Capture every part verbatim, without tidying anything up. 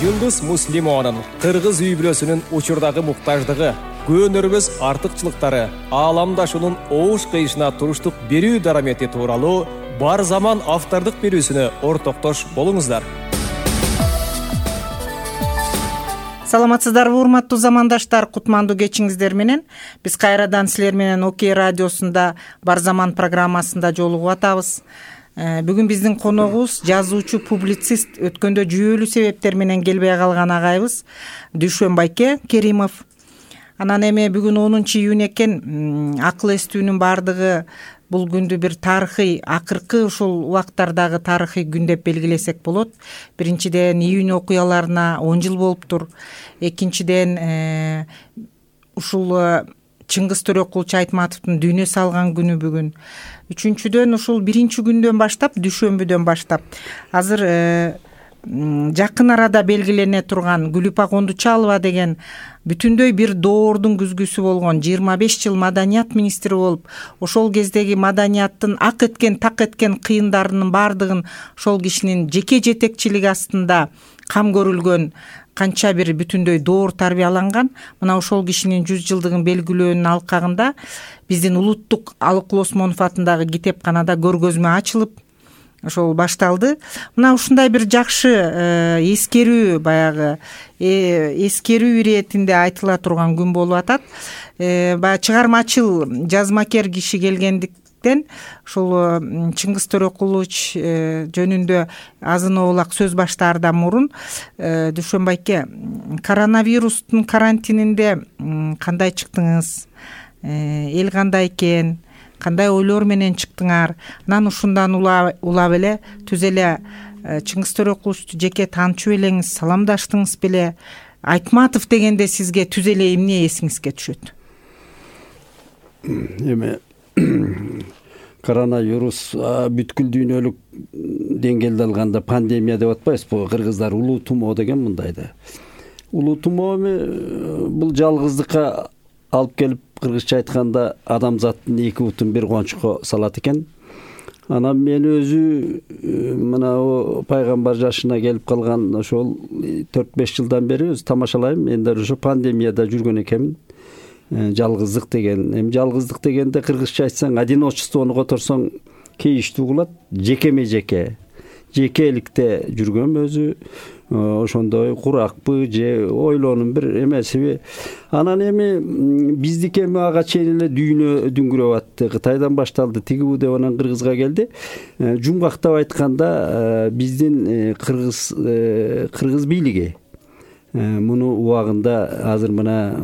Жулдуз Муслимованын кыргыз үй бүлөсүнүн учурдагы муктаждыгы, көөнөрбөс артыкчылыктары, ааламдашуунун оош кыйышына туруштук берүү дарамети тууралуу Бар заман автордук берүүсүнө ортоктош болуңуздар. Саламатсыздарбы, урматтуу замандаштар, кутмандуу кечиңиздер менен биз кайрадан силер менен Окей радиосунда Бар заман программасында жолугуп атабыз. Бүгүн биздин коногубуз жазуучу, публицист, өткөндө жүйөлүү себептер менен келбей калган агайыбыз Дүйшөнбайке Керимов. Анан эми бүгүн онунчу июнь экен, акыл эстүүнүн баардыгы бул күндү бир тарыхый, акыркы ушул убактардагы тарыхый күн деп белгилесек болот. Биринчиден июнь окуяларына он жыл болуптур. Экинчиден ушул Чыңгыз Төрөкулчу Айтматовдун дүйнө салган күнү бүгүн. Үчүнчүдөн ушул биринчи күндөн баштап, дүйшөмбүдөн баштап азыр жакын арада белгилене турган Гүлүпа Кондучалова деген бүтүндөй бир доордун күзгүсү болгон жыйырма беш жыл маданият министри болуп, ошол кездеги маданияттын ак эткен, так эткен кыйындарынын баардыгын ошол кишинин жеке жетекчилиги астында кам көрүлгөн канча бир бүтүндөй доор тарбияланган. Мына ошол кишинин жүз жылдыгын белгилөөнүн алкагында биздин улуттук Алык Осмонов атындагы китепканада көргөзмө ачылып, ошол башталды. Мына ушундай бир жакшы эскерүү, баягы эскерүү иретинде айтыла турган күн болуп атат. Баягы чыгармачыл, жазмакер киши келгендиктен ушул Чыңгыз Төрөкулович жөнүндө азын оолак сөз баштаардан мурун Дүйшөнбайке, коронавирустун карантининде кандай чыктыңыз? Эл кандай экен? Кандай ойлор менен чыктыңар? Анан ушундан улап эле түз эле Чыңгыз Төрөкуловичту жеке таанычып элеңиз, саламдаштыңыз беле? Айтматов дегенде сизге түз эле эмне эсиңизге түшөт? Эме коронавирус бүткүл дүйнөлүк деңгээлде алганда пандемия деп атпайбызбы? Кыргыздар улуу тумоо деген мындай да. Улуу тумоо эми бул жалгыздыкка алып келип, кыргызча айтканда адамзаттын эки бутун бир кончукко салат экен. Анан мен өзү мына пайгамбар жашына келип калган ошол төрт беш жылдан бери өз тамашалайм. Мен да ошо пандемияда жүргөн экенмин. Жалгыздык деген, эми жалгыздык дегенде кыргызча айтсаң, одиночествону которсоң кейиштүү кылат, жекеме жеке, жекеликте жүргөм өзү. Ошондой куракпы же ойлоонун бир эмесиби. Анан эми биздики эми ага чейин эле дүйнө дүңгүрөп атты. Кытайдан башталды, тиги деп анан Кыргызга келди. Жумгактап айтканда биздин кыргыз кыргыз бийлиги муну убагында азыр мына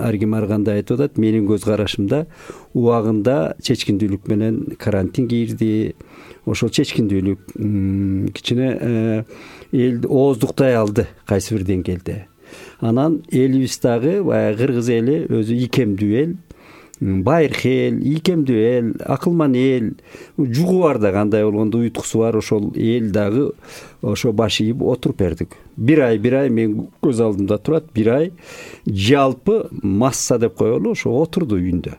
ар ким ар кандай айтып атат, менин көз карашымда убагында чечкиндүүлүк менен карантин кирди. Ошол чечкиндүүлүк кичине элди ооздуктай алды кайсы бир деңгээлде. Анан элибиз дагы баягы кыргыз эли өзү ийкемдүү эл, байыркы эл, ийкемдүү эл, акылман эл, жугу бар да, кандай болгондо уйткусу бар, ошол эл дагы ошо баш ийип отуруп бердик. Бир ай, бир ай мен көз алдымда турат, бир ай жалпы масса деп коелу, ошо отурду үйүндө.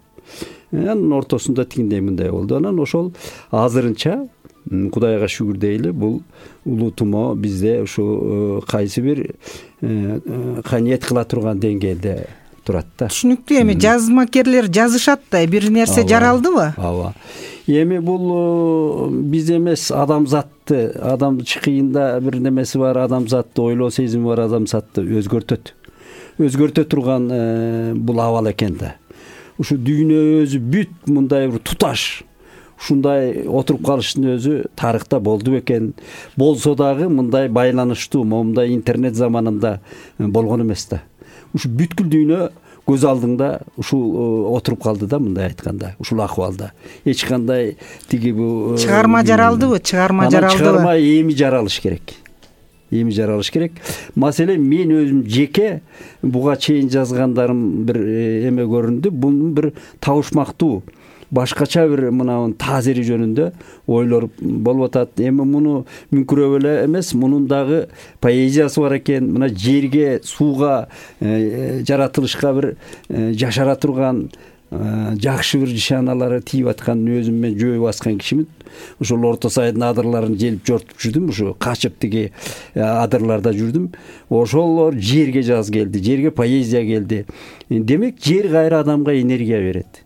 Анын ортосунда тигиндей мындай болду. Анан ошол азырынча Кудайга шүгүр дейли, бул улуу тумоо бизде ушу кайсы бир каниет кыла турган деңгээлде турат да. Түшүнүктүү. Эми жазмакерлер жазышат да, бир нерсе жаралдыбы? Ооба. Эми бул биз эмес, адамзатты, адам чыкыйында бир немеси бар, адамзатты ойлоо сезими бар, адамзатты өзгөртөт. Өзгөртө турган бул абал экен да. Ушу дүйнө өзү бүт мындай бир туташ ушундай отуруп калыштын өзү тарыхта болду бекен. Болсо дагы мындай байланыштуу, момундай интернет заманында болгон эмес да. Ушу бүткүл дүйнө көз алдыңда ушул отуруп калды да, мындай айтканда, ушул акыбалда. Эч кандай тиги бу чыгарма жаралдыбы? Чыгарма жаралдыбы? Чыгарма эми жаралыш керек. Эми жаралыш керек. Маселе мен өзүм жеке буга чейин жазгандарым бир эме көрүндү. Бунун бир табышмактуу, башкача бир мына таасири жөнүндө ойлор болуп атат. Эми муну мүмкүрөп эле эмес, мунун дагы поэзиясы бар экен. Мына жерге, сууга, жаратылышка бир жашара турган жакшы бир нишаналары тийип атканын өзүм мен жөө баскан кишимин. Ошол Орто Сайдын адырларын желип жортуп жүрдүм, ушу качып тиги адырларда жүрдүм. Ошолор жерге жаз келди, жерге поэзия келди. Демек жер кайра адамга энергия берет.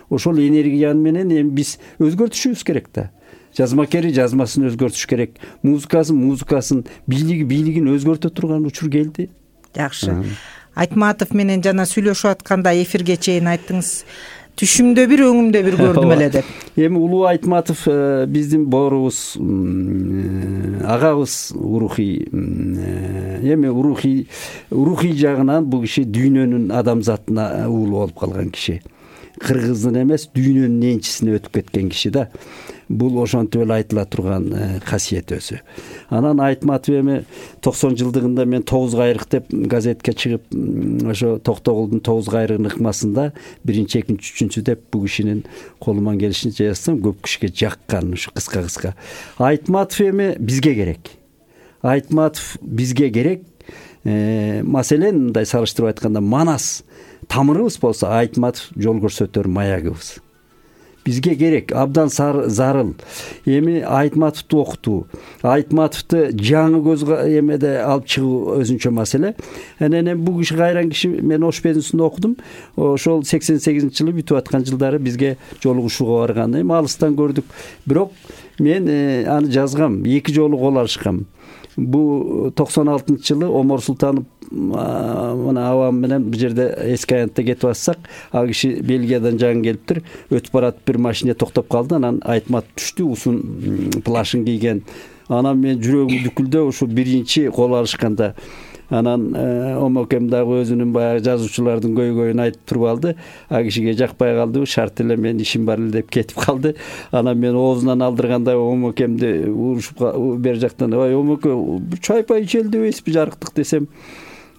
Ошол энергия менен эми биз өзгөртүшүбүз керек да. Жазмакери жазмасын өзгөртүш керек, музыкасын музыкасын, бийлиги бийлигин өзгөртө турган учур келди. Жакшы. Айтматов менен жана сүйлөшүп атканда эфирге чейин айттыңыз, түшүмдө бир, өңүмдө бир көрдүм эле деп. Эми Улуу Айтматов биздин боорубуз, агабыз урухий. Эми урухий урухий жагынан бул киши дүйнөнүн адамзатына уулу болуп калган киши. Кыргыздын эмес, дүйнөнүн энчисине өтүп кеткен киши да. Бул ошентип эле айтыла турган касиет өзү. Анан Айтматов эми токсон жылдыгында мен тогуз кайрык деп газетке чыгып, ошо Токтогулдун тогуз кайрыгынын ыкмасында биринчи, экинчи, үчүнчү деп бул кишинин колуман келишинче жазсам, көп кишиге жаккан ушу кыска-кыска. Айтматов эми бизге керек. Айтматов бизге керек. Маселен, мындай салыштырып айтканда, Манас тамырыбыз болсо, Айтматов жол көрсөтөр маягыбыз. Бизге керек, абдан зарыл. Эми Айтматовду окутуу, Айтматовду жаңы көз эмеде алып чыгуу өзүнчө маселе. Анан бул киши кайран киши, мен Ош Пенусунда окудум. Ошол сексен сегизинчи жылы бүтүп аткан жылдары бизге жолугушууга барган. Эми алыстан көрдүк. Бирок мен аны жазгам, эки жолу кол алышкам. Бу токсон алтынчы жылы Омар Султанов мына авам менен бир жерде эски аянтта кетип атсак, ал киши Бельгиядан жаңы келиптир, өтүп баратып бир машине токтоп калды. Анан Айтмат түштү, узун плашын кийген. Анан мен жүрөгүм дүкүлдө ушу биринчи кол алышканда. Анан омокем дагы өзүнүн баягы жазуучулардын көйгөйүн айтып туруп алды. А кишиге жакпай калды, шарт эле мен ишим бар эле деп кетип калды. Анан мен оозунан алдырганда омокемди урушуп бер жактан, ой омоке, чай-пай ичели дебейсизби жарыктык десем,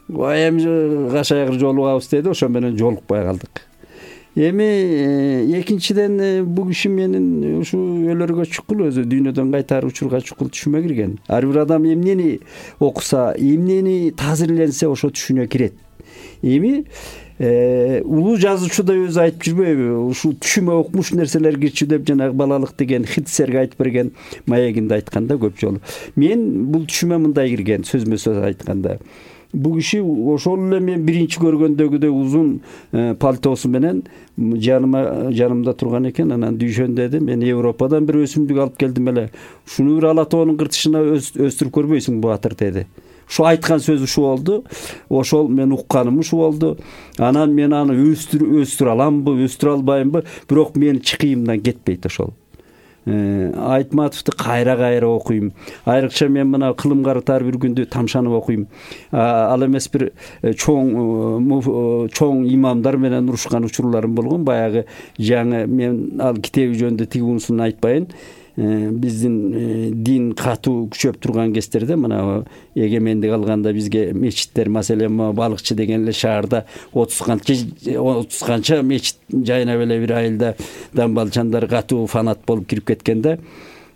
ой эми кашайгыр жолугабыз деди, ошо менен жолукпай калдык. Эми экинчиден бул киши менин ушу өлөргө чукул, өзү дүйнөдөн кайтар учурга чукул түшүмө кирген. Ар бир адам эмнени окуса, эмнени таасирленсе ошо түшүнө кирет. Эми улуу жазуучу да өзү айтып жүрбөйбү, ушу түшүмө окмуш нерселер кирчү деп жанагы балалык деген Хитцерге айтып берген маегинде айтканда көп жолу. Мен бул түшүмө мындай кирген, сөзмө сөз айтканда. Бул киши ошол эле мен биринчи көргөндөгүдөй узун пальтосу менен жаныма жанымда турган экен. Анан дүйшөндө мен Европадан бир өсүмдүк алып келдим эле. Ушуну бир ала тоонун кыртышына өстүрүп көрбөйсүң батыр деди. Ушу айткан сөз ушу болду. Ошол мен укканым ушу болду. Анан мен аны өстүр өстүрө аламбы, өстүрө албаймбы, бирок менин чыкыйымдан кетпейт ошол. Айтматовду кайра-кайра окуйм. Айрыкча мен мына кылым карытар бир күндү тамшанып окуйм. Ал эмес бир чоң чоң имамдар менен урушкан учурларым болгон. Баягы жаңы мен ал китеби жөнүндө тиги унусун айтпайын. Биздин дин катуу күчөп турган кездерде мына эгемендик алганда бизге мечиттер, маселен Балыкчы деген эле шаарда отуз канча отуз канча мечит жайнап эле бир айылда дамбалчандар катуу фанат болуп кирип кеткенде,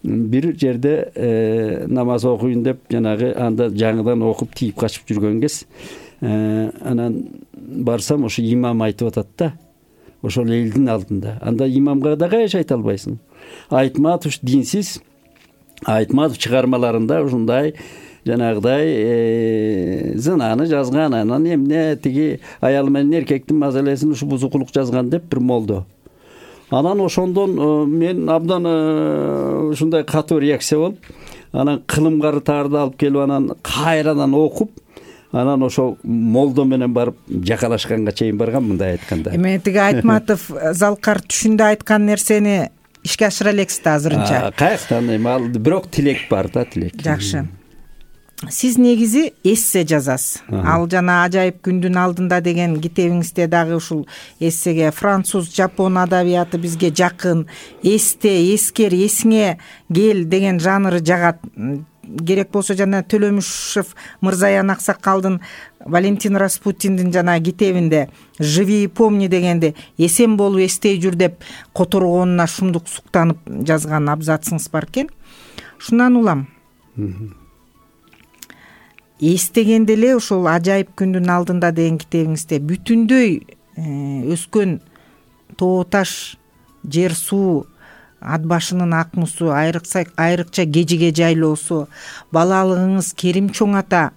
бир жерде намаз окуйн деп жанагы анда жаңыдан окуп тийип качып жүргөн кез, анан барсам ошо имам айтып атат да, ошол элдин алдында. Анда имамга да каяш айта албайсың. Айтматов динсиз, Айтматов чыгармаларында ушундай жанагыдай зынаны жазган, анан эмне тиги аял менен эркектин маселесин ушу бузукулук жазган деп бир молдо. Анан ошондон мен абдан ушундай катуу реакция болуп, анан кылым карытарды алып келип, анан кайрадан окуп, анан ошол молдо менен барып жакалашканга чейин барган, мындай айтканда. Эми тиги Айтматов Залкар түшүндө айткан нерсени ишке ашыра элексиз да азырынча? Каяктан эми ал бирок тилек бар да, тилек. Жакшы. Сиз негизи эссе жазасыз. Ал жана Ажайып күндүн алдында деген китебиңизде дагы ушул эссеге француз, жапон адабияты бизге жакын, эсте, эскер, эсиңе кел деген жанры жагат. Керек болсо жана Төлөмүшев Мырзаян Аксакалдын Валентин Распутиндин жана китебинде «Живи и помни» дегенде эсен болуп эстей жүр деп которгонуна шумдук суктанып жазган абзацыңыз бар экен. Шундан улам. Эстегенде эле ошол Ажайып күндүн алдында деген китебиңизде бүтүндөй өскөн тоо таш, жер суу, ат башынын ак мусу, айрыкча айрыкча кежиге жайлоосу, балалыгыңыз Керим чоң ата,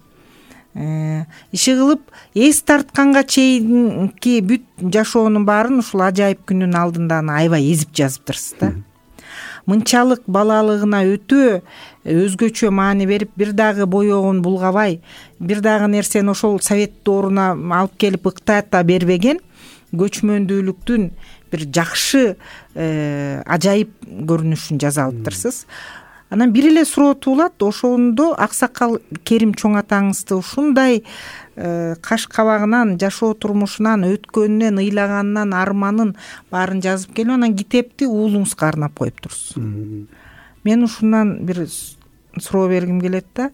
иши кылып эс тартканга чейинки бүт жашоонун баарын ушул ажайып күндүн алдында аябай эзип жазыптырсыз да. Мынчалык балалыгына өтө өзгөчө маани берип, бир дагы боёгун булгабай, бир дагы нерсени ошол совет дооруна алып келип ыктата бербеген көчмөндүүлүктүн бир жакшы ажайып көрүнүшүн жаза алыптырсыз. Анан бир эле суроо туулат, ошондо аксакал Керим чоң атаңызды ушундай каш кабагынан, жашоо турмушунан, өткөнүнөн, ыйлаганынан, арманын баарын жазып келип, анан китепти уулуңузга арнап коюптурсуз. Мен ушундан бир суроо бергим келет да.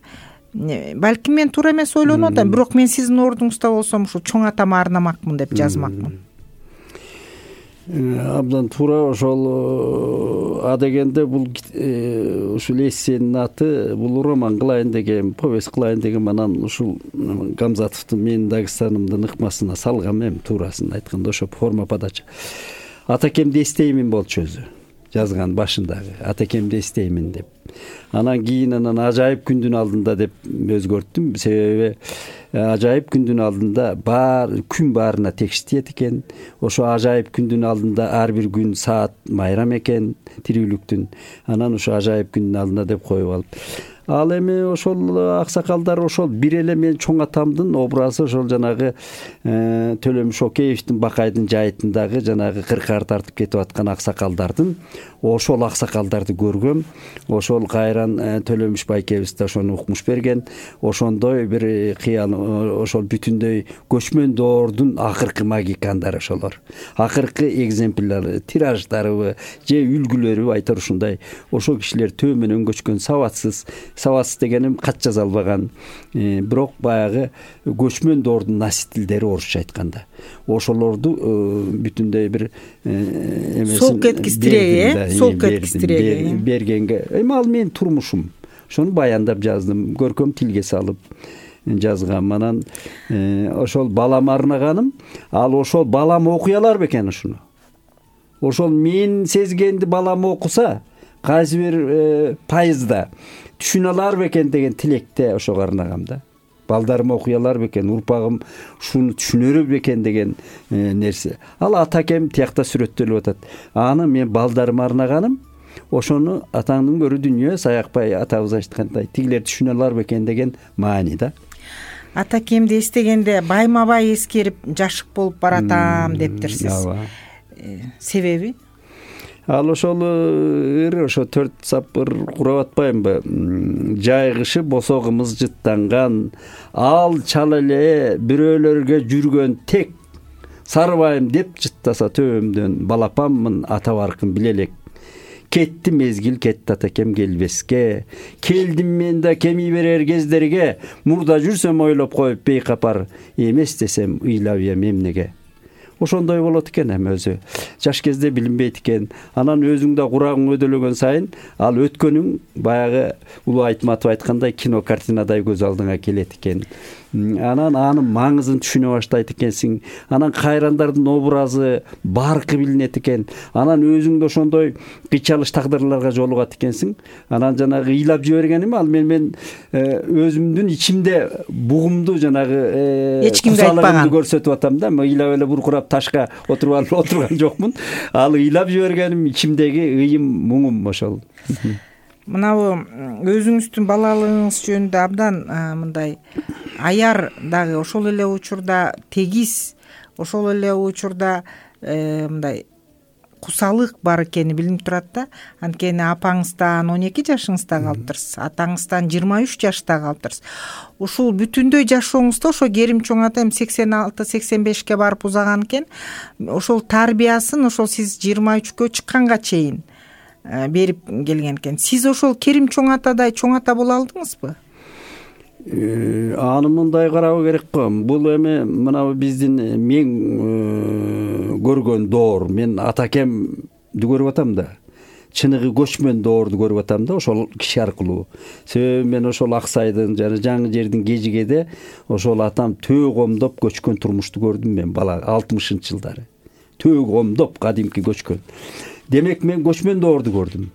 Балким мен туура эмес ойлонуп атам, бирок мен сиздин ордуңузда болсом ушул чоң атама арнамакмын деп жазмакмын. Абдан туура. Ошол а дегенде бул ушул эссенин аты бул роман кылайын деген, повесть кылайын деген, анан ушул Гамзатовдун менин Дагыстанымдын ыкмасына салгам эми, туурасын айтканда ошо форма подача. Атакемди эстеймин болчу өзү жазган башындагы, атакемди эстеймин деп. Анан кийин анан ажайып күндүн алдында деп өзгөрттүм, себеби ажайып күндүн алдында бар күн баарына текст тиет экен. Ошо ажайып күндүн алдында ар бир күн саат майрам экен тирүүлүктүн. Анан ошо ажайып күндүн алдында деп коюп алып, ал эми ошол аксакалдар ошол бир эле мен чоң атамдын образы ошол жанагы Төлөмүш Океевдин Бакайдын жайытындагы жанагы кыркаар тартып кетип аткан аксакалдардын, ошол аксакалдарды көргөм. Ошол кайран Төлөмүш Байкебиз да ошону укмуш берген. Ошондой бир кыял, ошол бүтүндөй көчмөн доордун акыркы магикандары ошолор. Акыркы экземплярлары, тираждарыбы же үлгүлөрү айтор ушундай. Ошол кишилер төө менен көчкөн, сабатсыз, сабатсыз дегеним кат жаза албаган, бирок баягы көчмөн доордун наситилдери орусча айтканда. Ошолорду бүтүндөй бир эмесин сол кеткистиреги, сол кеткистиреги бергенге, эми ал менин турмушум. Ошону баяндап жаздым, көркөм тилге салып жазгам. Анан ошол балама арнаганым, ал ошол балам окуй алар бекен ушуну. Ошол мен сезгенди балам окуса, кайсы бир пайызда түшүнө алар бекен деген тилекте ошого арнагам да. Балдарым окуй алар бекен, урпагым ушуну түшүнөр бекен деген нерсе. Ал атакем тиякта сүрөттөлүп атат. Аны мен балдарыма арнаганым, ошону атаңдын көрү дүнүйө, Саякбай атабыз айткандай, тигилер түшүнө алар бекен деген маани да. Атакемди эстегенде байма бай эскерип жашык болуп баратам дептирсиз. Себеби? Ал ошол ыр ошо төрт сапыр курап атпаймынбы? Жайгышы босогумуз жыттанган, ал чал эле бирөөлөргө жүргөн тек, сарыбайым деп жыттаса төбөмдөн, балапаммын ата баркын биле элек. Кетти мезгил, кетти атакем келбеске, келдим мен да кеми берер кездерге, мурда жүрсөм ойлоп коюп бейкапар, эмес десем ыйлап эм эмнеге. Ошондой болот экен эми өзү. Жаш кезде билинбейт экен. Анан өзүң да курагың өдөлөгөн сайын, ал өткөнүң баягы Улуу Айтматов айткандай кино картинадай көз алдыңа келет экен. Анан анын маңызын түшүнө баштайт экенсиң. Анан кайрандардын образы, баркы билинет экен. Анан өзүң да ошондой кыйчалыш тагдырларга жолугат экенсиң. Анан жанагы ыйлап жибергеним ал мен мен өзүмдүн ичимде бугумду жанагы эч кимге айтпаган көрсөтүп атам да. Мен ыйлап эле буркурап ташка отуруп алып отурган жокмун. Ал ыйлап жибергеним ичимдеги ыйым, муңум ошол. Мынабу өзүңүздүн балалыгыңыз жөнүндө абдан мындай аяр дагы ошол эле учурда тегиз, ошол эле учурда мындай кусалык бар экени билинип турат да. Анткени апаңыздан он эки жашыңызда калыптырсыз, атаңыздан жыйырма үч жашта калыптырсыз. Ушул бүтүндөй жашооңузда ошо Керим чоң ата эми сексен алты сексен бешке барып узаган экен. Ошол тарбиясын ошол сиз жыйырма үчкө чыкканга чейин берип келген экен. Сиз ошол Керим чоң атадай чоң ата боло алдыңызбы? Аны мындай карабы керек го. Бул эми мына биздин мен көргөн доор, мен атакемди көрүп атам да. Чыныгы көчмөн доорду көрүп атам да, ошол киши аркылуу. Себеби мен ошол Аксайдын жана жаңы жердин Кежигеде ошол атам төө комдоп көчкөн турмушту көрдүм мен бала алтымышынчы жылдары. төө комдоп кадимки көчкөн. Демек мен көчмөн доорду көрдүм.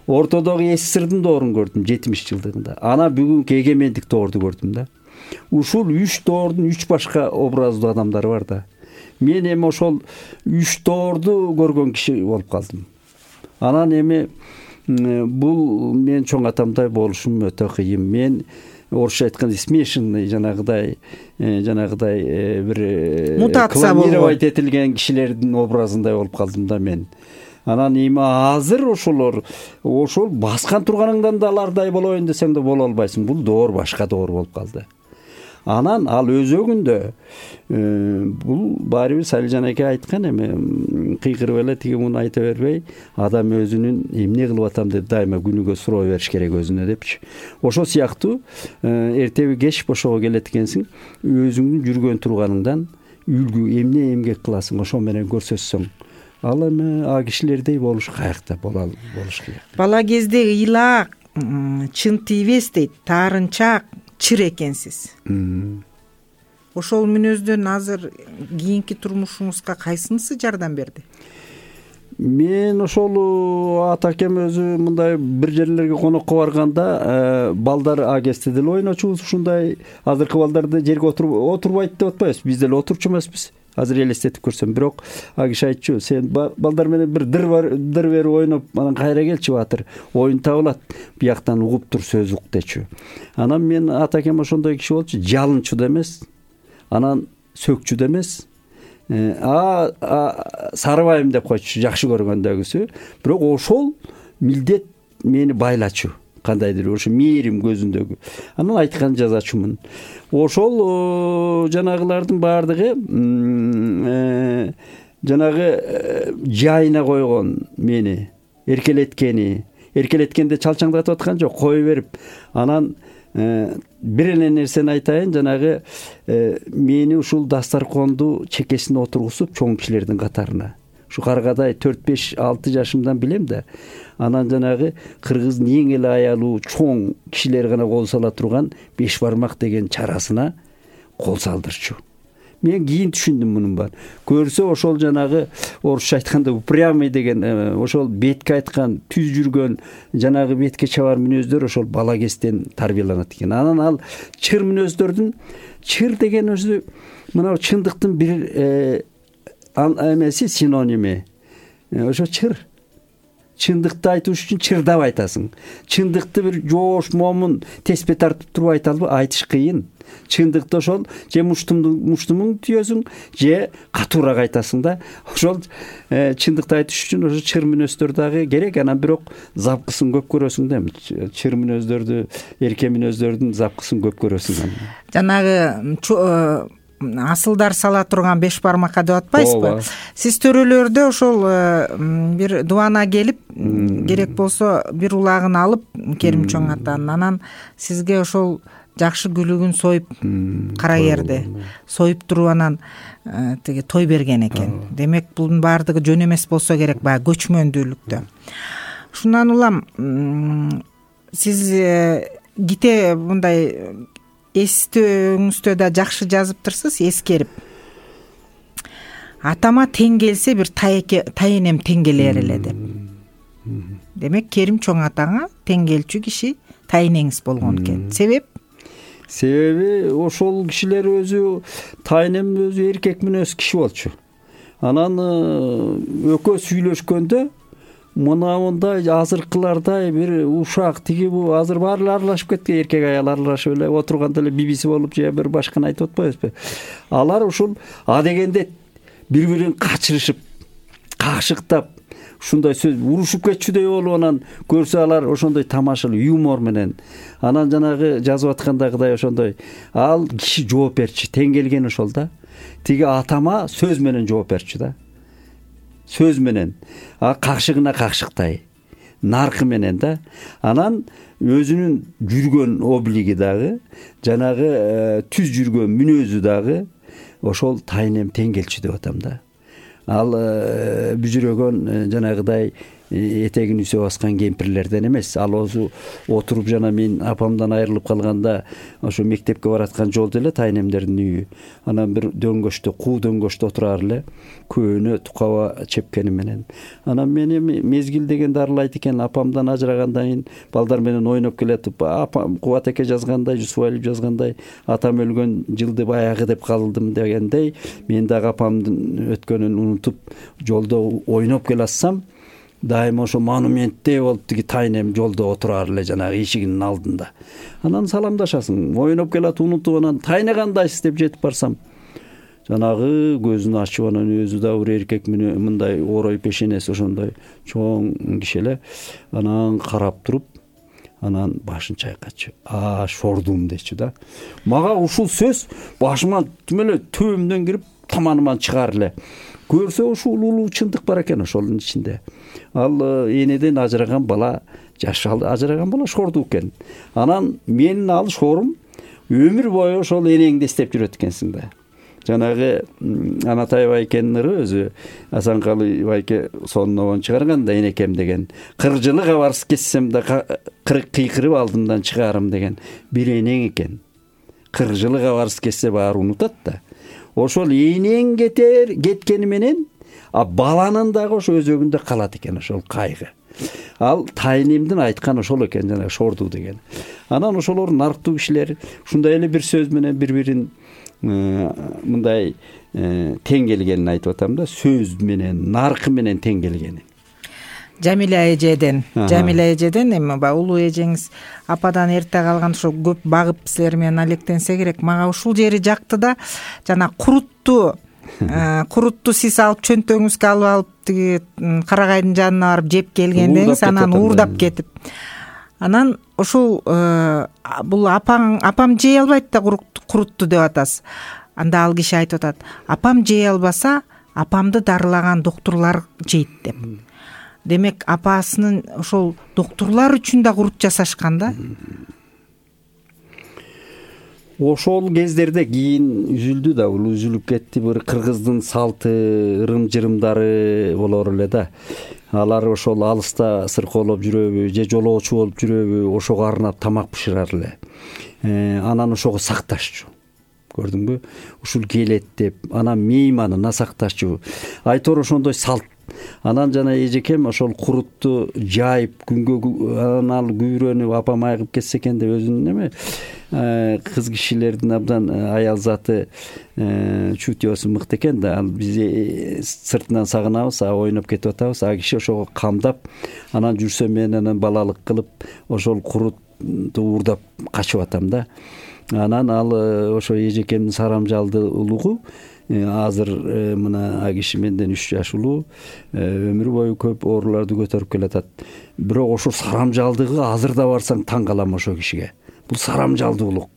Ортодогу СССРдин доорун көрдүм жетимиш жылдыгында. Ана бүгүнкү эгемендик доорду көрдүм да. Ушул үч доордун үч башка образдуу адамдары бар да. Мен эми ошол үч доорду көргөн киши болуп калдым. Анан эми бул мен чоң атамдай болушум өтө кыйын. Мен орусча айтканда смешанный жанагыдай жанагыдай бир клонировать этилген кишилердин образындай болуп калдым да мен. Анан эми азыр ошолор ошол баскан турганыңдан да алардай болоюн десең да боло албайсың. Бул доор башка доор болуп калды. Анан ал өзөгүндө бул баары бир Салижан эке айткан эми кыйкырып эле тиги муну айта бербей, адам өзүнүн эмне кылып атам деп дайыма күнүгө суроо бериш керек өзүнө депчи. Ошол сыяктуу эртеби кеч бошого келет экенсиң, өзүңдүн жүргөн турганыңдан үлгү эмне эмгек кыласың ошо менен көрсөтсөң, ал эми а кишилердей болуш каякта боло болуш керек. Бала кезде ыйлаак, чын тийбес дейт, таарынчаак, чыр экенсиз. Ошол мүнөздөн азыр кийинки турмушуңузга кайсынысы жардам берди? Мен ошол ата акем өзү мындай бир жерлерге конокко барганда балдар а кезде деле ойночубуз, ушундай азыркы балдарды жерге отурбайт деп атпайбыз, биз деле отурчу эмеспиз. Азыр элестетип көрсөм, бирок а киши айтчу, сен балдар менен бир дыр дыр берип ойноп, анан кайра келчи батыр, оюн табылат, бияктан угуп тур, сөз ук дечү. Анан мен ата акем ошондой киши болчу, жалынчу да эмес, анан сөкчү да эмес, а сарыбайым деп койчу, жакшы көргөндөгүсү, бирок ошол милдет мени байлачу. Кандайдыр ошо мээрим көзүндөгү. Анан айткан жазачумун. Ошол жанагылардын баардыгы жанагы жайына койгон мени, эркелеткени, эркелеткенде чалчаңдатып аткан жок, кое берип. Анан бир эле нерсени айтайын, жанагы мени ушул дастарконду чекесине отургузуп чоң кишилердин катарына. Ушу каргадай төрт беш алты жашымдан билем да. Анан жанагы кыргыздын эң эле аялуу чоң кишилер гана кол сала турган беш бармак деген чарасына кол салдырчу. Мен кийин түшүндүм мунун бар. Көрсө ошол жанагы орусча айтканда упрямый деген ошол бетке айткан түз жүргөн жанагы бетке чабар мүнөздөр ошол бала кезден тарбияланат экен. Анан ал чыр мүнөздөрдүн, чыр деген өзү мына чындыктын бир эмеси, синоними. Ошо чыр. Чындыкты айтыш үчүн чырдап айтасың. Чындыкты бир жоош, момун, теспе тартып туруп айта албай, айтыш кыйын. Чындыкты ошол же муштумуң түйөсүң, же катуураак айтасың да. Ошол чындыкты айтыш үчүн ошо чыр мүнөздөр дагы керек, анан бирок запкысын көп көрөсүң да. Чыр мүнөздөрдү, эрке мүнөздөрдүн запкысын көп көрөсүң. Жанагы асылдар сала турган беш бармакка деп атпайсызбы? Сиз төрөлөрдө ошол бир дубана келип, керек болсо бир улагын алып, Керим чоң атанын, анан сизге ошол жакшы күлүгүн союп кара керди, союп туруп анан тиги той берген экен. Демек bunun баардыгы жөн эмес болсо керек, баягы көчмөндүүлүктө. Шундан улам сиз ките мындай эстөөңүздө да жакшы жазыптырсыз, эскерип. Атама тең келсе бир тайенем тең келер эле деп. Демек Керим чоң атаңа тең келчү киши тайенеңиз болгон экен. Себеп? Себеби ошол кишилер өзү, тайенем өзү эркек мүнөз киши болчу. Анан экөө сүйлөшкөндө мына мындай азыркылардай бир ушак тиги бу азыр баары аралашып кеткен, эркек аял аралашып эле отурганда эле бибиси болуп же бир башканы айтып атпайбызбы? Алар ушул а дегенде бири-бирин качырышып, какшыктап, ушундай сөз урушуп кетчүдөй болуп анан көрсө алар ошондой тамашалуу юмор менен анан жанагы жазып аткандагыдай ошондой ал киши жооп берчү, тең келген ошол да. Тиги атама сөз менен жооп берчү да. Сөз менен, а какшыгына какшыктай, наркы менен да. Анан өзүнүн жүргөн облиги дагы, жанагы түз жүргөн мүнөзү дагы ошол тайенем тең келчү деп атам да. Ал бүжүрөгөн жанагыдай этегин үсө баскан кемпирлерден эмес. Ал өзү отуруп жана мен апамдан айрылып калганда ошо мектепке бараткан жолдо эле тайнемдердин үйү. Анан бир дөңгөчтө, куу дөңгөчтө отурар эле, көөнө тукаба чепкени менен. Анан мен эми мезгил деген дарылайт экен. Апамдан ажырагандан кийин балдар менен ойноп келатып, апам Кубат эке жазгандай, Жусупалиев жазгандай, атам өлгөн жылды баягы деп калдым дегендей, мен дагы апамдын өткөнүн унутуп жолдо ойноп келатсам, дайыма ошо монументтей болуп тиги тайнем жолдо отурар эле жанагы эшигинин алдында. Анан саламдашасың, ойноп келат унутуп, анан тайне кандайсыз деп жетип барсам, жанагы көзүн ачып, анан өзү да бир эркек менен мындай орой пешенеси ошондой чоң киши эле, анан карап туруп, анан башын чайкачы. А шордум дечү да. Мага ушул сөз башыма тим эле төбөмдөн кирип, таманыман чыгар эле. Көрсө ушул улуу чындык бар экен ошонун ичинде. Ал энеден ажыраган бала, жаш ажыраган бала шорду экен. Анан менин ал шорум өмүр бою ошол энеңди эстеп жүрөт экенсиң да. Жанагы Анатай байкенин ыры өзү Асанкалы байке сонунан чыгарган да, энекем деген. Кырк жылы кабарсыз кетсем да кырк кыйкырып алдымдан чыгарым деген бир энең экен. Кырк жылы кабарсыз кетсе баары унутат да. Ошол энең кетер, кеткени менен, а баланын дагы ошо өзөгүндө калат экен ошол кайгы. Ал тайнемдин айткан ошол экен, жана шорду деген. Анан ошолор нарктуу кишилер ушундай эле бир сөз менен бири-бирин мындай тең келгенин айтып атам да, сөз менен, наркы менен тең келгени. Жамиля эжеден, Жамиля эжеден эми ба улуу эжеңиз ападан эрте калган, ошо көп багып силер менен алектенсе керек. Мага ушул жери жакты да, жана курутту, курутту сиз алып чөнтөгүңүзгө алып алып тиги карагайдын жанына барып жеп келгендеңиз, анан уурдап кетип. Анан ушул бул апаң, апам жей албайт да курутту деп атасыз. Анда ал киши айтып атат, апам жей албаса, апамды дарылаган доктурлар жейт деп. Демек, апасынын ошол доктурлар үчүн да курут жасашкан да. Ошол кездерде кийин үзүлдү да, бул үзүлүп кетти. Бир кыргыздын салты, ырым-жырымдары болор эле да. Алар ошол алыста сыркоолоп жүрөбү, же жолоочу болуп жүрөбү, ошого арнап тамак бышырар эле. Анан ошого сакташчу. Көрдүңбү? Ушул келет деп, анан мейманына сакташчу. Айтор ошондой салт. Анан жана эжекем ошол курутту жайып, күнгө анан ал күйрөнүп, апам айыгып кетсе экен деп өзүнүн эме кыз кишилердин абдан аял заты чутьосу мыкты экен да. Ал биз сыртынан сагынабыз, ойноп кетип атабыз. А киши ошого камдап, анан жүрсө мен анан балалык кылып, ошол курутту уурдап качып атам да. Анан ал ошо эжекемдин сарамжалды улугу азыр мына киши менден үч жаш улуу, өмүр бою көп ооруларды көтөрүп келатат. Бирок ошо сарамжалдыгы азыр да барсаң таң калам ошо кишиге. Бул сарамжалдуулук.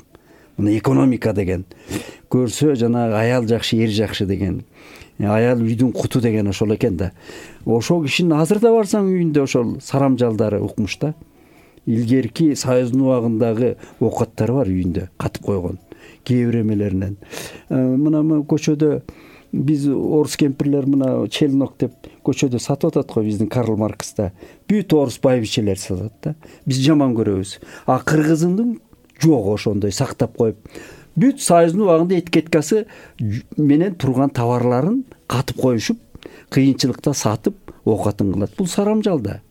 Мына экономика деген. Көрсө жанагы аял жакшы, эр жакшы деген. Аял үйдүн куту деген ошол экен да. Ошол кишинин азыр да барсаң үйүндө ошол сарамжалдары укмуш да. Илгерки Союздун убагындагы оокаттары бар үйүндө, катып койгон. Кээ бир эмелеринен. Мына көчөдө биз орус кемпирлер мына челнок деп көчөдө сатып атат го, биздин Карл Маркста. Бүт орус байбичелер сатат да. Биз жаман көрөбүз. А кыргызындын жок ошондой сактап коюп. Бүт Союздун убагында этикеткасы менен турган товарларын катып коюшуп, кыйынчылыкта сатып, оокатын кылат. Бул сарамжал да.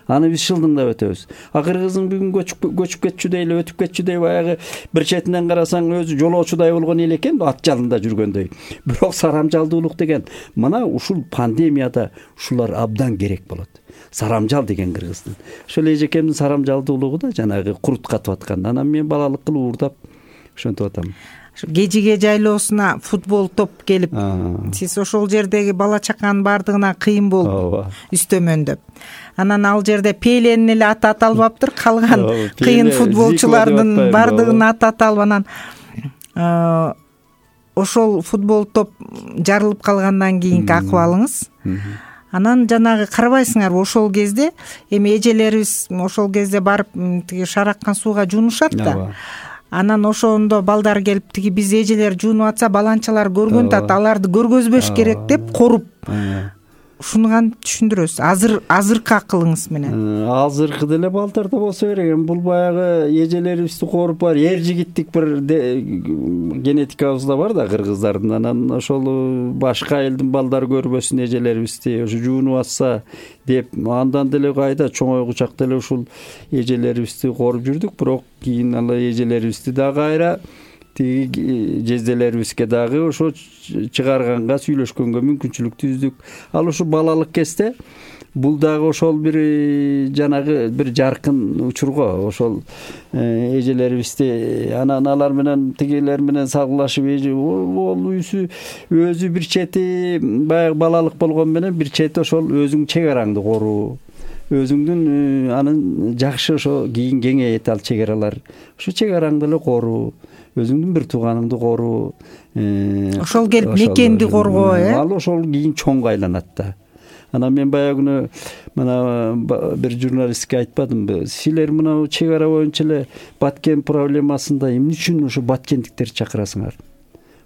Аны биз шылдыңдап өтөбүз. А кыргыздын бүгүн көчүп көчүп кетчүдөй эле, өтүп кетчүдөй баягы бир четинен карасаң өзү жолоочудай болгон эле экен, ат жалында жүргөндөй. Бирок сарамжалдуулук деген мына ушул пандемияда ушулар абдан керек болот. Сарамжал деген кыргыздын. Ошол эжекемдин сарамжалдуулугу да жанагы курут катып аткан. Анан мен балалык кылып уурдап ошентип атам. Кежиге жайлоосуна футбол топ келип, сиз ошол жердеги бала чаканын баардыгына кыйын болуп үстөмөндөп. Анан ал жерде Пеленин эле аты аталбаптыр, калган кыйын футболчулардын баардыгынын аты аталып, анан ошол футбол топ жарылып калгандан кийинки акыбалыңыз. Анан жанагы карабайсыңарбы, ошол кезде эми эжелерибиз ошол кезде барып тиги шараккан сууга жуунушат да. Анан ошондо балдар келип тиги биз эжелер жуунуп атса баланчалар көргөн тат, аларды көргөзбөш керек деп коруп. ушуну кантип түшүндүрөсүз азыр азыркы акылыңыз менен? Азыркы деле балдарда болсо керек эми бул баягы эжелерибизди коруп бар эр жигиттик бир генетикабызда бар да кыргыздардын. Анан ошол башка элдин балдары көрбөсүн эжелерибизди ошо жуунуп атса деп андан деле кайда чоңойгучак деле ушул эжелерибизди коруп жүрдүк. Бирок кийин ал эжелерибизди да кайра тиги жезделерибизге дагы ошо чыгарганга сүйлөшкөнгө мүмкүнчүлүк түздүк. Ал ушу балалык кезде бул дагы ошол бир жанагы бир жаркын учурго ошол эжелерибизди анан алар менен тигилер менен салгылашып ол үйсү өзү бир чети баягы балалык болгон менен бир чети ошол өзүң чек араңды коруу, өзүңдүн анын жакшы ошо кийин кеңейет ал чек аралар. Ошо чек араңды эле коруу, өзүңдүн бир тууганыңды коруу, ошол келип мекенди коргоо, э? Ал ошол кийин чоңго айланат да. Анан мен баягы күнү мына бир журналистке айтпадымбы, силер мына чек ара боюнча эле Баткен проблемасында эмне үчүн ошо баткендиктерди чакырасыңар?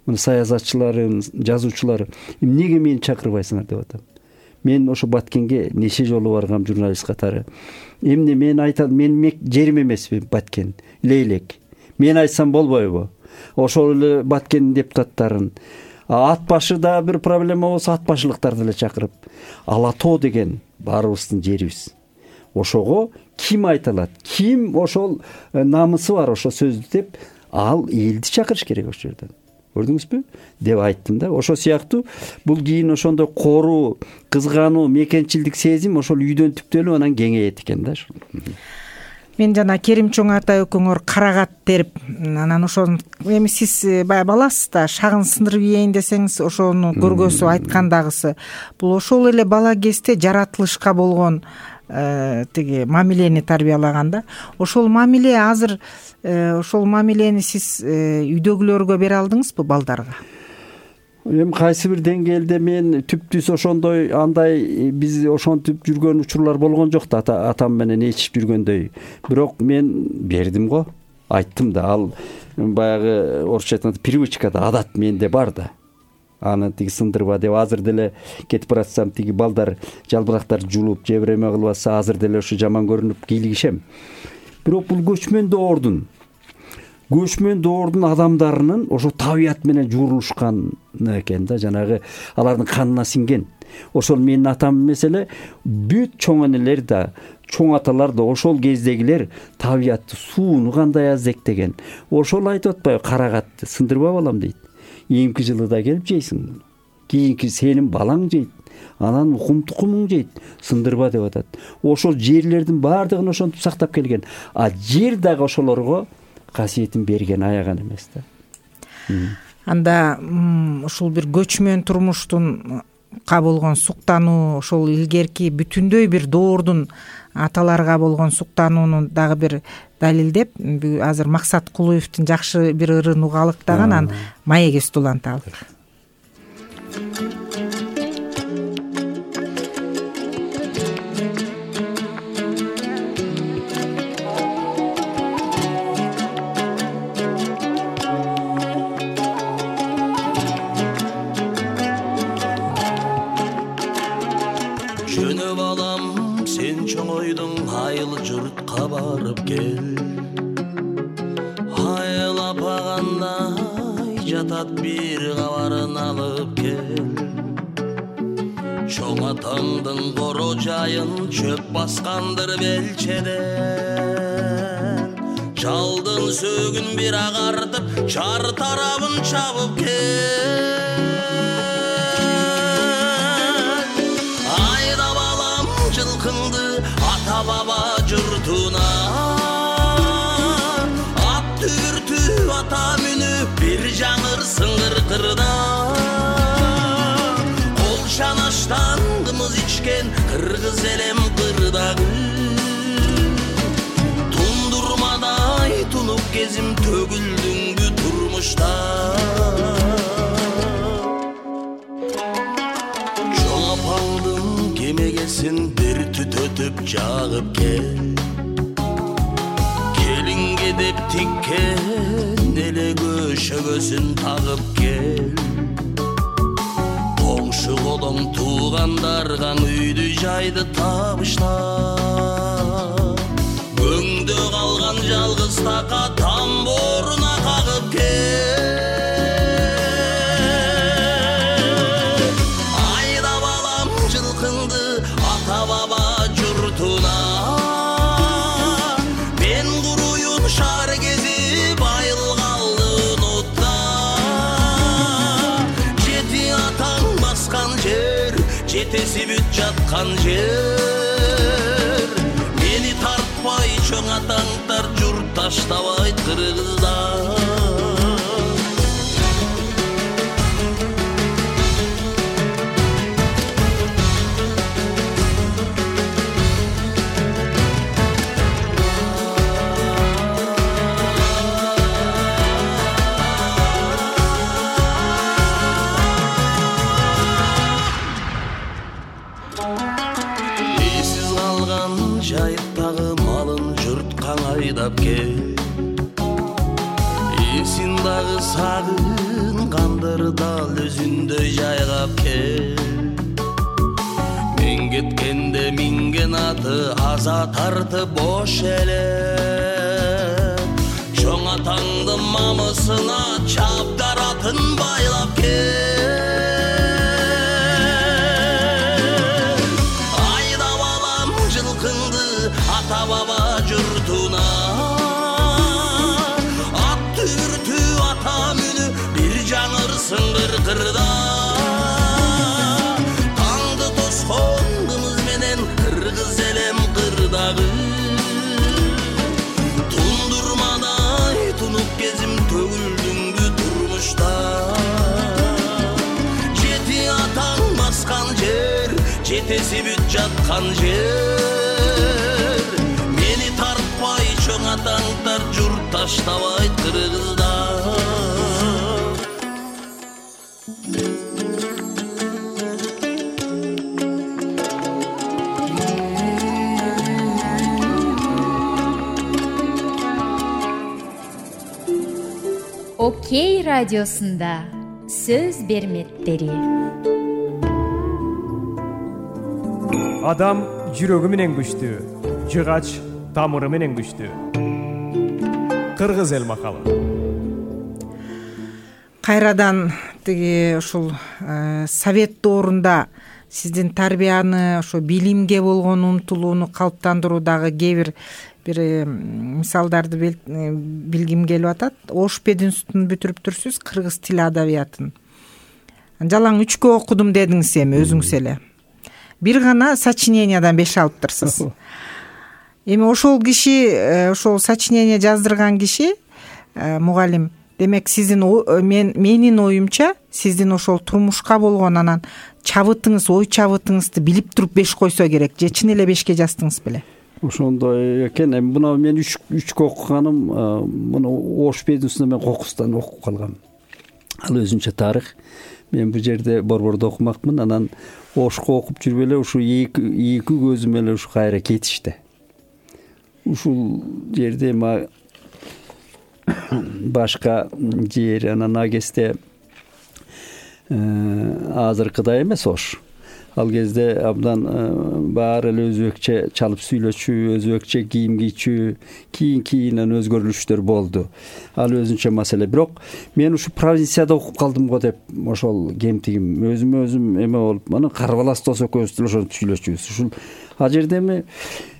Мына саясатчыларын, жазуучулар эмнеге мени чакырбайсыңар деп атам. Мен ошо Баткенге нече жолу баргам журналист катары. Эмне мен айтам, мен жерим эмеспи Баткен, Лейлек. Мен айтсам болбойбу? Ошол эле Баткендин депутаттарын, ат башы да бир проблема болсо ат башылыктарды эле чакырып, Ала тоо деген баарыбыздын жерибиз. Ошого ким айта алат? Ким ошол намысы бар ошо сөздү деп, ал элди чакырыш керек ошол жерден. Көрдүңүзбү? Деп айттым да. Ошол сыяктуу бул кийин ошондой коруу, кызгануу, мекенчилдик сезим ошол үйдөн түптөлүп анан кеңейет экен да. Мен жана Керим чоң ата экөөңөр карагат терип, анан ошону эми сиз баягы баласыз да, шагын сындырып ийейин десеңиз, ошону көргөсү айткандагысы. Бул ошол эле бала кезде жаратылышка болгон тиги мамилени тарбиялаган да. Ошол мамиле азыр ошол мамилени сиз үйдөгүлөргө бере алдыңызбы балдарга? Эми кайсы бир деңгээлде мен түптүс ошондой андай биз ошентип жүргөн учурлар болгон жок да, атам менен ээрчип жүргөндөй. Бирок мен бердим го, айттым да. Ал баягы орусча айтканда привычка да, адат менде бар да. Аны тиги сындырба деп азыр деле кетип баратсам тиги балдар жалбырактарды жулуп, жебиреме кылып атса азыр деле ошо жаман көрүнүп кийлигишем. Бирок бул көчмөн доордун көчмөн доордун адамдарынын ошо табият менен журулушкан экен да, жанагы алардын канына сиңген. Ошол менин атам эмес эле бүт чоң энелер да, чоң аталар да ошол кездегилер табиятты, сууну кандай аздектеген. Ошол айтып атпайбы, карагатты сындырба балам дейт. Эмки жылы да келип жейсиң. Кийинки сенин балаң жейт. Анан укум тукумуң жейт. Сындырба деп атат. Ошол жерлердин баардыгын ошентип сактап келген. А жер дагы ошолорго касиетин берген, аяган эмес да. Анда ушул бир көчмөн турмуштун болгон суктануу, ошол илгерки бүтүндөй бир доордун аталарга болгон суктанууну дагы бир далилдеп, азыр Максат Кулуевдин жакшы бир ырын угалыктаган, анан маегибизди уланталык. Жөнө балам, сен чоңойдуң, айыл журтка барып кел. Айыл апагандай жатат, бир кабарын алып кел. Чоң атаңдын коро жайын чөп баскандыр белчеден. Жалдын сөгүн бир агартып, чар тарабын чабып кел. Ата баба журтуна ат түртү ата мүнүп бир жаңырсың кыркырда. Кол шанаштан кымыз ичкен кыргыз элем кырдагы. Тундурмадай тунуп кезим төгүлдүңбү турмушта. Чоң апаңдын кемегесин бир түтөтүп жагып кел. Келинге деп тиккен эле көшөгөсүн тагып кел. Коңшу колоң туугандарга үйдү жайды табышта. Өңдө калган жалгыз така тамбуруна кагып кел. Айда балам жылкыңды ата баба журтуна. Мен куруюн шаар кезип айылгалды унутта. Жети атаң баскан жер, жетеси бүт жаткан жер. Мени тартпай чоң атаңдар журт таштабайт кыргыздар. Жайыктагы малын журт каңайдап кел. Эсин дагы сагынгандыр дал өзүндөй жайгап кел. Мен кеткенде минген аты аза тартып бош эле. Чоң атаңдын мамысына чабдар атын байлап кел. Ата баба журтуна. Ат түртү ата мүнү бир жаңырсын кыркырда. Таңды тоскондумуз менен кыргыз элем кырдагы. Тундурмадай тунуп кезим төгүлдүңбү турмушта. Жети атаң баскан жер, жетеси бүт жаткан жер. Чоң атаңдар журт таштабайт кыргыздар. Окей радиосунда сөз берметтери. Адам жүрөгү менен күчтүү, жыгач тамыры менен күчтүү. Кыргыз эл макалы. Кайрадан тиги ушул совет доорунда сиздин тарбияны, ошо билимге болгон умтулууну калыптандыруудагы кээ бир бир мисалдарды билгим келип атат. Ош пединститутун бүтүрүптүрсүз, кыргыз тили адабиятын. Жалаң үчкө окудум дедиңиз эми өзүңүз эле. Бир гана сочинениядан беш алыптырсыз. Эми ошол киши, ошол сочинение жаздырган киши мугалим. Демек сиздин мен менин оюмча сиздин ошол турмушка болгон анан чабытыңыз, ой чабытыңызды билип туруп беш койсо керек. Же чын эле бешке жаздыңыз беле? Ошондой экен. Эми мына мен үч үчкө окуганым, муну Ош пединститутунда мен Кокустан окуп калгам. Ал өзүнчө тарых. Мен бул жерде Борбордо окумакмын. Анан Ошко окуп жүрүп эле ушу эки эки көзүм эле ушу кайра кетишти. Ушул жерде ма башка жер анан агесте азыркыдай эмес Ош. Ал кезде абдан баары эле өзбекче чалып сүйлөчү, өзбекче кийим кийчү, кийин-кийинен өзгөрүлүштөр болду. Ал өзүнчө маселе. Бирок мен ушу провинцияда окуп калдым го деп ошол кемтигим өзүмө өзүм эме болуп, мана Карбалас дос экөөбүз деле ошентип сүйлөчүбүз. Ушул ал жерде эми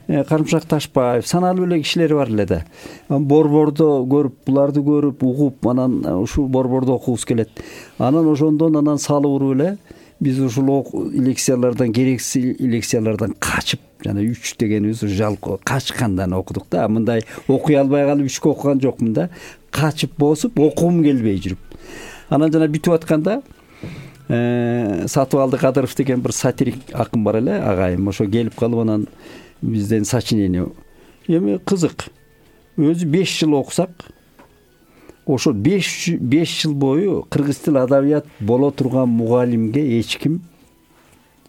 Карымшак Ташпаев саналуу эле кишилер бар эле да. Борбордо көрүп, буларды көрүп, угуп, анан ушул Борбордо окугубуз келет. Анан ошондон анан салып уруп эле биз ушул лекциялардан, керексиз лекциялардан качып, жана үч дегенибиз жалко качкандан окудук да. Мындай окуй албай калып үчкө окуган жокмун да. Качып босуп, окугум келбей жүрүп. Анан жана бүтүп атканда Сатыбалды Кадыров деген бир сатирик акын бар эле, агайым. Ошо келип калып анан бизден сочинение. Эми кызык. Өзү беш жыл окусак, ошо беш жыл бою кыргыз тил адабият боло турган мугалимге эч ким,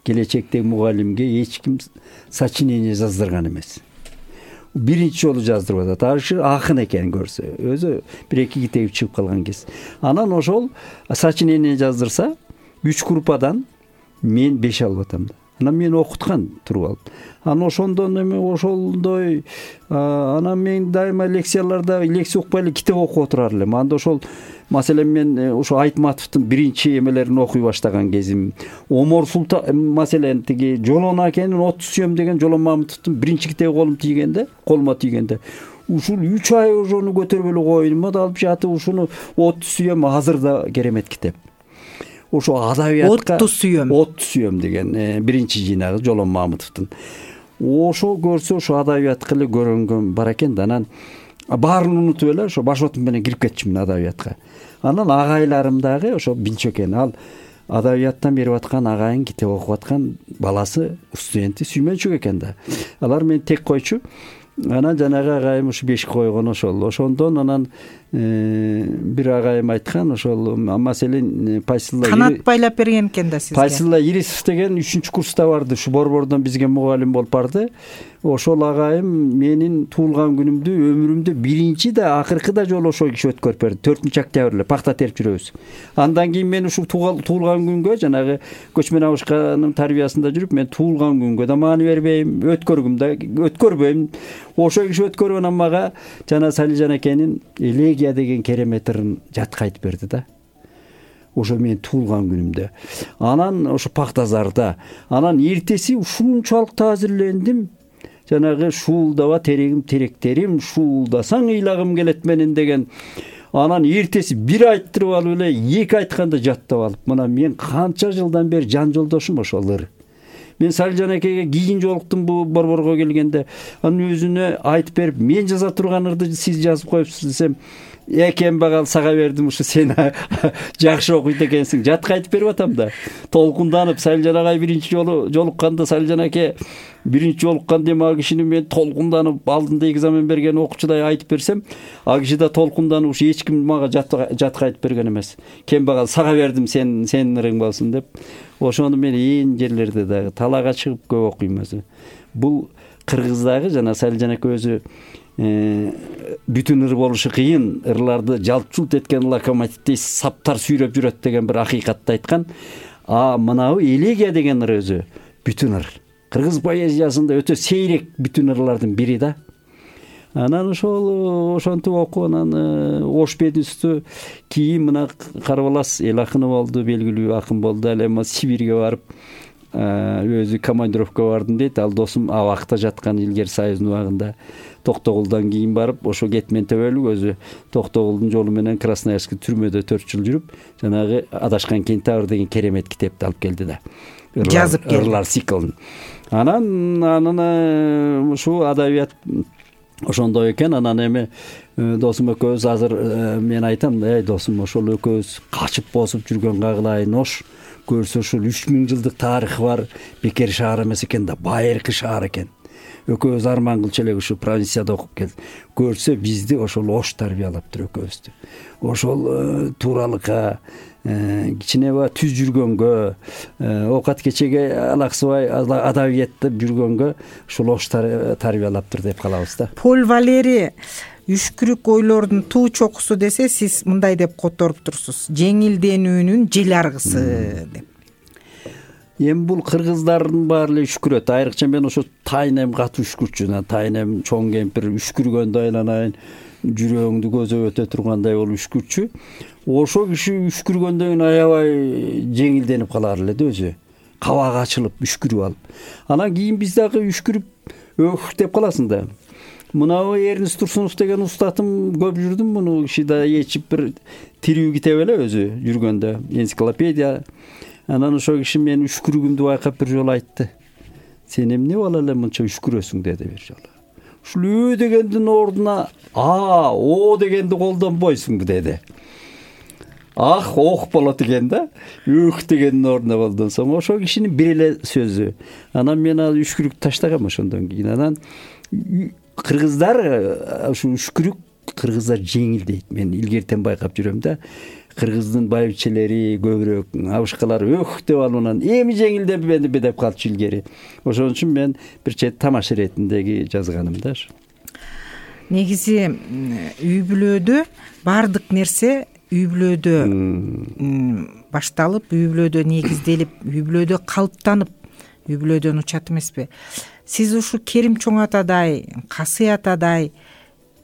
келечектеги мугалимге эч ким сочинение жаздырган эмес. Биринчи жолу жаздырып атат. Ашы акын экен көрсө. Өзү бир эки китеби чыгып калган кез. Анан ошол сочинение жаздырса, үч группадан мен беш алып атам да. Анан мен окуткан туруп алып. Анан ошондон эме ошолдой анан мен дайыма лекцияларда лекция укпай эле китеп окуп отурар элем. Анда ошол маселен мен ошо Айтматовдун биринчи эмелерин окуй баштаган кезим, Омор Султан маселен тиги Жолон акенин отуз сүйөм деген Жолон Мамытовдун биринчи китеби колум тийгенде, колума тийгенде ушул үч ай ошону көтөрүп эле коюйм да, алып жатып ушуну отуз сүйөм азыр да керемет китеп. Ошо адабиятка отуз сүйөм отуз сүйөм деген биринчи жыйнагы Жолон Мамытовдун. Ошо көрсө ошо адабиятка эле көрөнгөн бар экен да. Анан баарын унутуп эле ошо башотум менен кирип кетчүмүн адабиятка. Анан агайларым дагы ошо билчү экен. Ал адабияттан берип аткан агайын, китеп окуп аткан баласы, студенти сүймөнчүк экен да. Алар мени тек койчу. Анан жанагы агайым ушу бешик койгон ошол. Ошондон анан бир агайым айткан ошол маселен Пайсылла канат байлап берген экен да сизге. Пайсылла Ирисов деген үчүнчү курста барды, ушу Борбордон бизге мугалим болуп барды. Ошол агайым менин туулган күнүмдү, өмүрүмдө биринчи да акыркы да жолу ошол киши өткөрүп берди. төртүнчү октябрь эле пахта терип жүрөбүз. Андан кийин мен ушу туулган күнгө жанагы көчмөн абышканын тарбиясында жүрүп, мен туулган күнгө да маани бербейм, өткөргүм да өткөрбөйм. Ошол киши өткөргөн мага жана Салижан экенин элегия деген керемет ырын жатка айтып берди да. Ошо мен туулган күнүмдө. Анан ошо Пахтазарда. Анан эртеси ушунчалык таазирлендим. Жанагы шуулдаба терегим теректерим, шуулдасаң ыйлагым келет менин деген. Анан эртеси бир айттырып алып эле эки айтканда жаттап алып. Мына мен канча жылдан бери жан жолдошум ошол ыр. Мен Салижан экеге кийин жолуктум бу Борборго келгенде. Анын өзүнө айтып берип, мен жаза турган ырды сиз жазып коюпсуз десем, экен багал сага бердим, ушу сен жакшы окуйт экенсиң. Жатка айтып берип атам да. Толкунданып Салижан агай биринчи жолу жолукканда Салижан эке биринчи жолуккан дем а кишини мен толкунданып алдында экзамен берген окуучудай айтып берсем, а киши да толкунданып ушу эч ким мага жатка айтып берген эмес. Кен багал сага бердим, сен сенин ырың болсун деп. Ошону мен ээн жерлерде дагы талаага чыгып көп окуйм өзү. Бул кыргыздагы жана Салижан эке өзү бүтүн ыр болушу кыйын, ырларды жалт-жулт эткен локомотивдей саптар сүйрөп жүрөт деген бир акыйкатты айткан. А мынабы элегия деген ыр өзү бүтүн ыр. Кыргыз поэзиясында өтө сейрек бүтүн ырлардын бири да. Анан ошол ошонтип окуп анан Ош Бедүстү кийин мына Карбалас эл акыны болду, белгилүү акын болду. Ал эми Сибирге барып өзү командировка бардым дейт. Ал досум абакта жаткан илгери Союздун убагында Токтогулдан кийин барып, ошо кетмен төбөлүк өзү Токтогулдун жолу менен Красноярский түрмөдө төрт жыл жүрүп, жанагы Адашкан кентавр деген керемет китепти алып келди да. Жазып келди. Ырлар циклын. Анан анан ушу адабият ошондой экен. Анан эми досум экөөбүз азыр мен айтам да, эй досум, ошол экөөбүз качып босуп жүргөн Кагылайын Ош көрсө ушул үч миң жылдык тарыхы бар бекер шаар эмес экен да, байыркы шаар экен. Экөөбүз арман кылчу элек ушу провинцияда окуп келдик. Көрсө бизди ошол Ош тарбиялаптыр экөөбүздү. Ошол тууралыкка кичинеба түз жүргөнгө, оокат кечеге алаксыбай адабиятта жүргөнгө ушул Ош тарбиялаптыр деп калабыз да. Поль Валери үшкүрүк ойлордун туу чокусу десе, сиз мындай деп которуп турсуз: жеңилденүүнүн жел аргысы деп. Эми бул кыргыздардын баары эле үшкүрөт. Айрыкча мен ошо тайнем катуу үшкүрчү. Тайнем чоң кемпир үшкүргөндө айланайын, жүрөгүңдү көзөп өтө тургандай болуп үшкүрчү. Ошо киши үшкүргөндөн кийин аябай жеңилденип калар эле да өзү. Кабагы ачылып, үшкүрүп алып. Анан кийин биз дагы үшкүрүп өөх деп каласың да. Мынабы Эрнест Турсунов деген устатым көп жүрдүм, муну киши да ечип бир тирүү китеп эле өзү жүргөндө, энциклопедия. Анан ошо киши мен үшкүрүгүмдү байкап бир жолу айтты. Сен эмне бала эле мынча үшкүрөсүң деди бир жолу. Ушул ө дегендин ордуна а, о дегенди колдонбойсуңбу деди. Ах, ох болот экен да. Өөх дегендин ордуна колдонсоң, ошо кишинин бир эле сөзү. Анан мен ал үшкүрүктү таштагам ошондон кийин. Анан кыргыздар ушу үшкүрүк кыргыздар жеңил дейт. Мен илгертен байкап жүрөм да. Кыргыздын байбичелери көбүрөөк, абышкалар өөх деп алып анан эми жеңилденбедиби деп калчу илгери. Ошон үчүн мен бир чет тамаша иретиндеги жазганым да. Негизи үй бүлөдө баардык нерсе үй бүлөдө башталып, үй бүлөдө негизделип, үй бүлөдө калыптанып, үй бүлөдөн учат эмеспи? Сиз ушу Керим чоң атадай, Касый атадай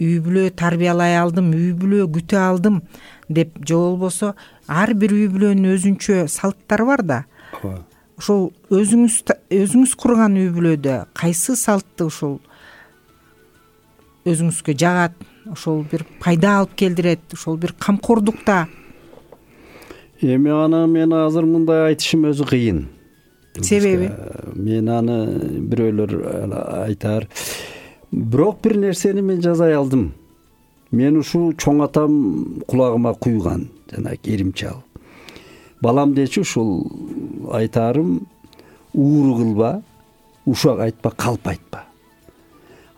үй бүлө тарбиялай алдым, үй бүлө күтө алдым деп, же болбосо ар бир үй бүлөнүн өзүнчө салттары бар да. Ошол өзүңүз өзүңүз курган үй бүлөдө кайсы салтты ушул өзүңүзгө жагат, ошол бир пайда алып келдирет, ошол бир камкордукта? Эми аны мен азыр мындай айтышым өзү кыйын. Себеби? Мен аны бирөөлөр айтар. Бирок бир нерсени мен жазай алдым. Мен ушул чоң атам кулагыма куйган, жана Керим чал. Балам дечи ушул айтарым: ууру кылба, ушак айтпа, калп айтпа.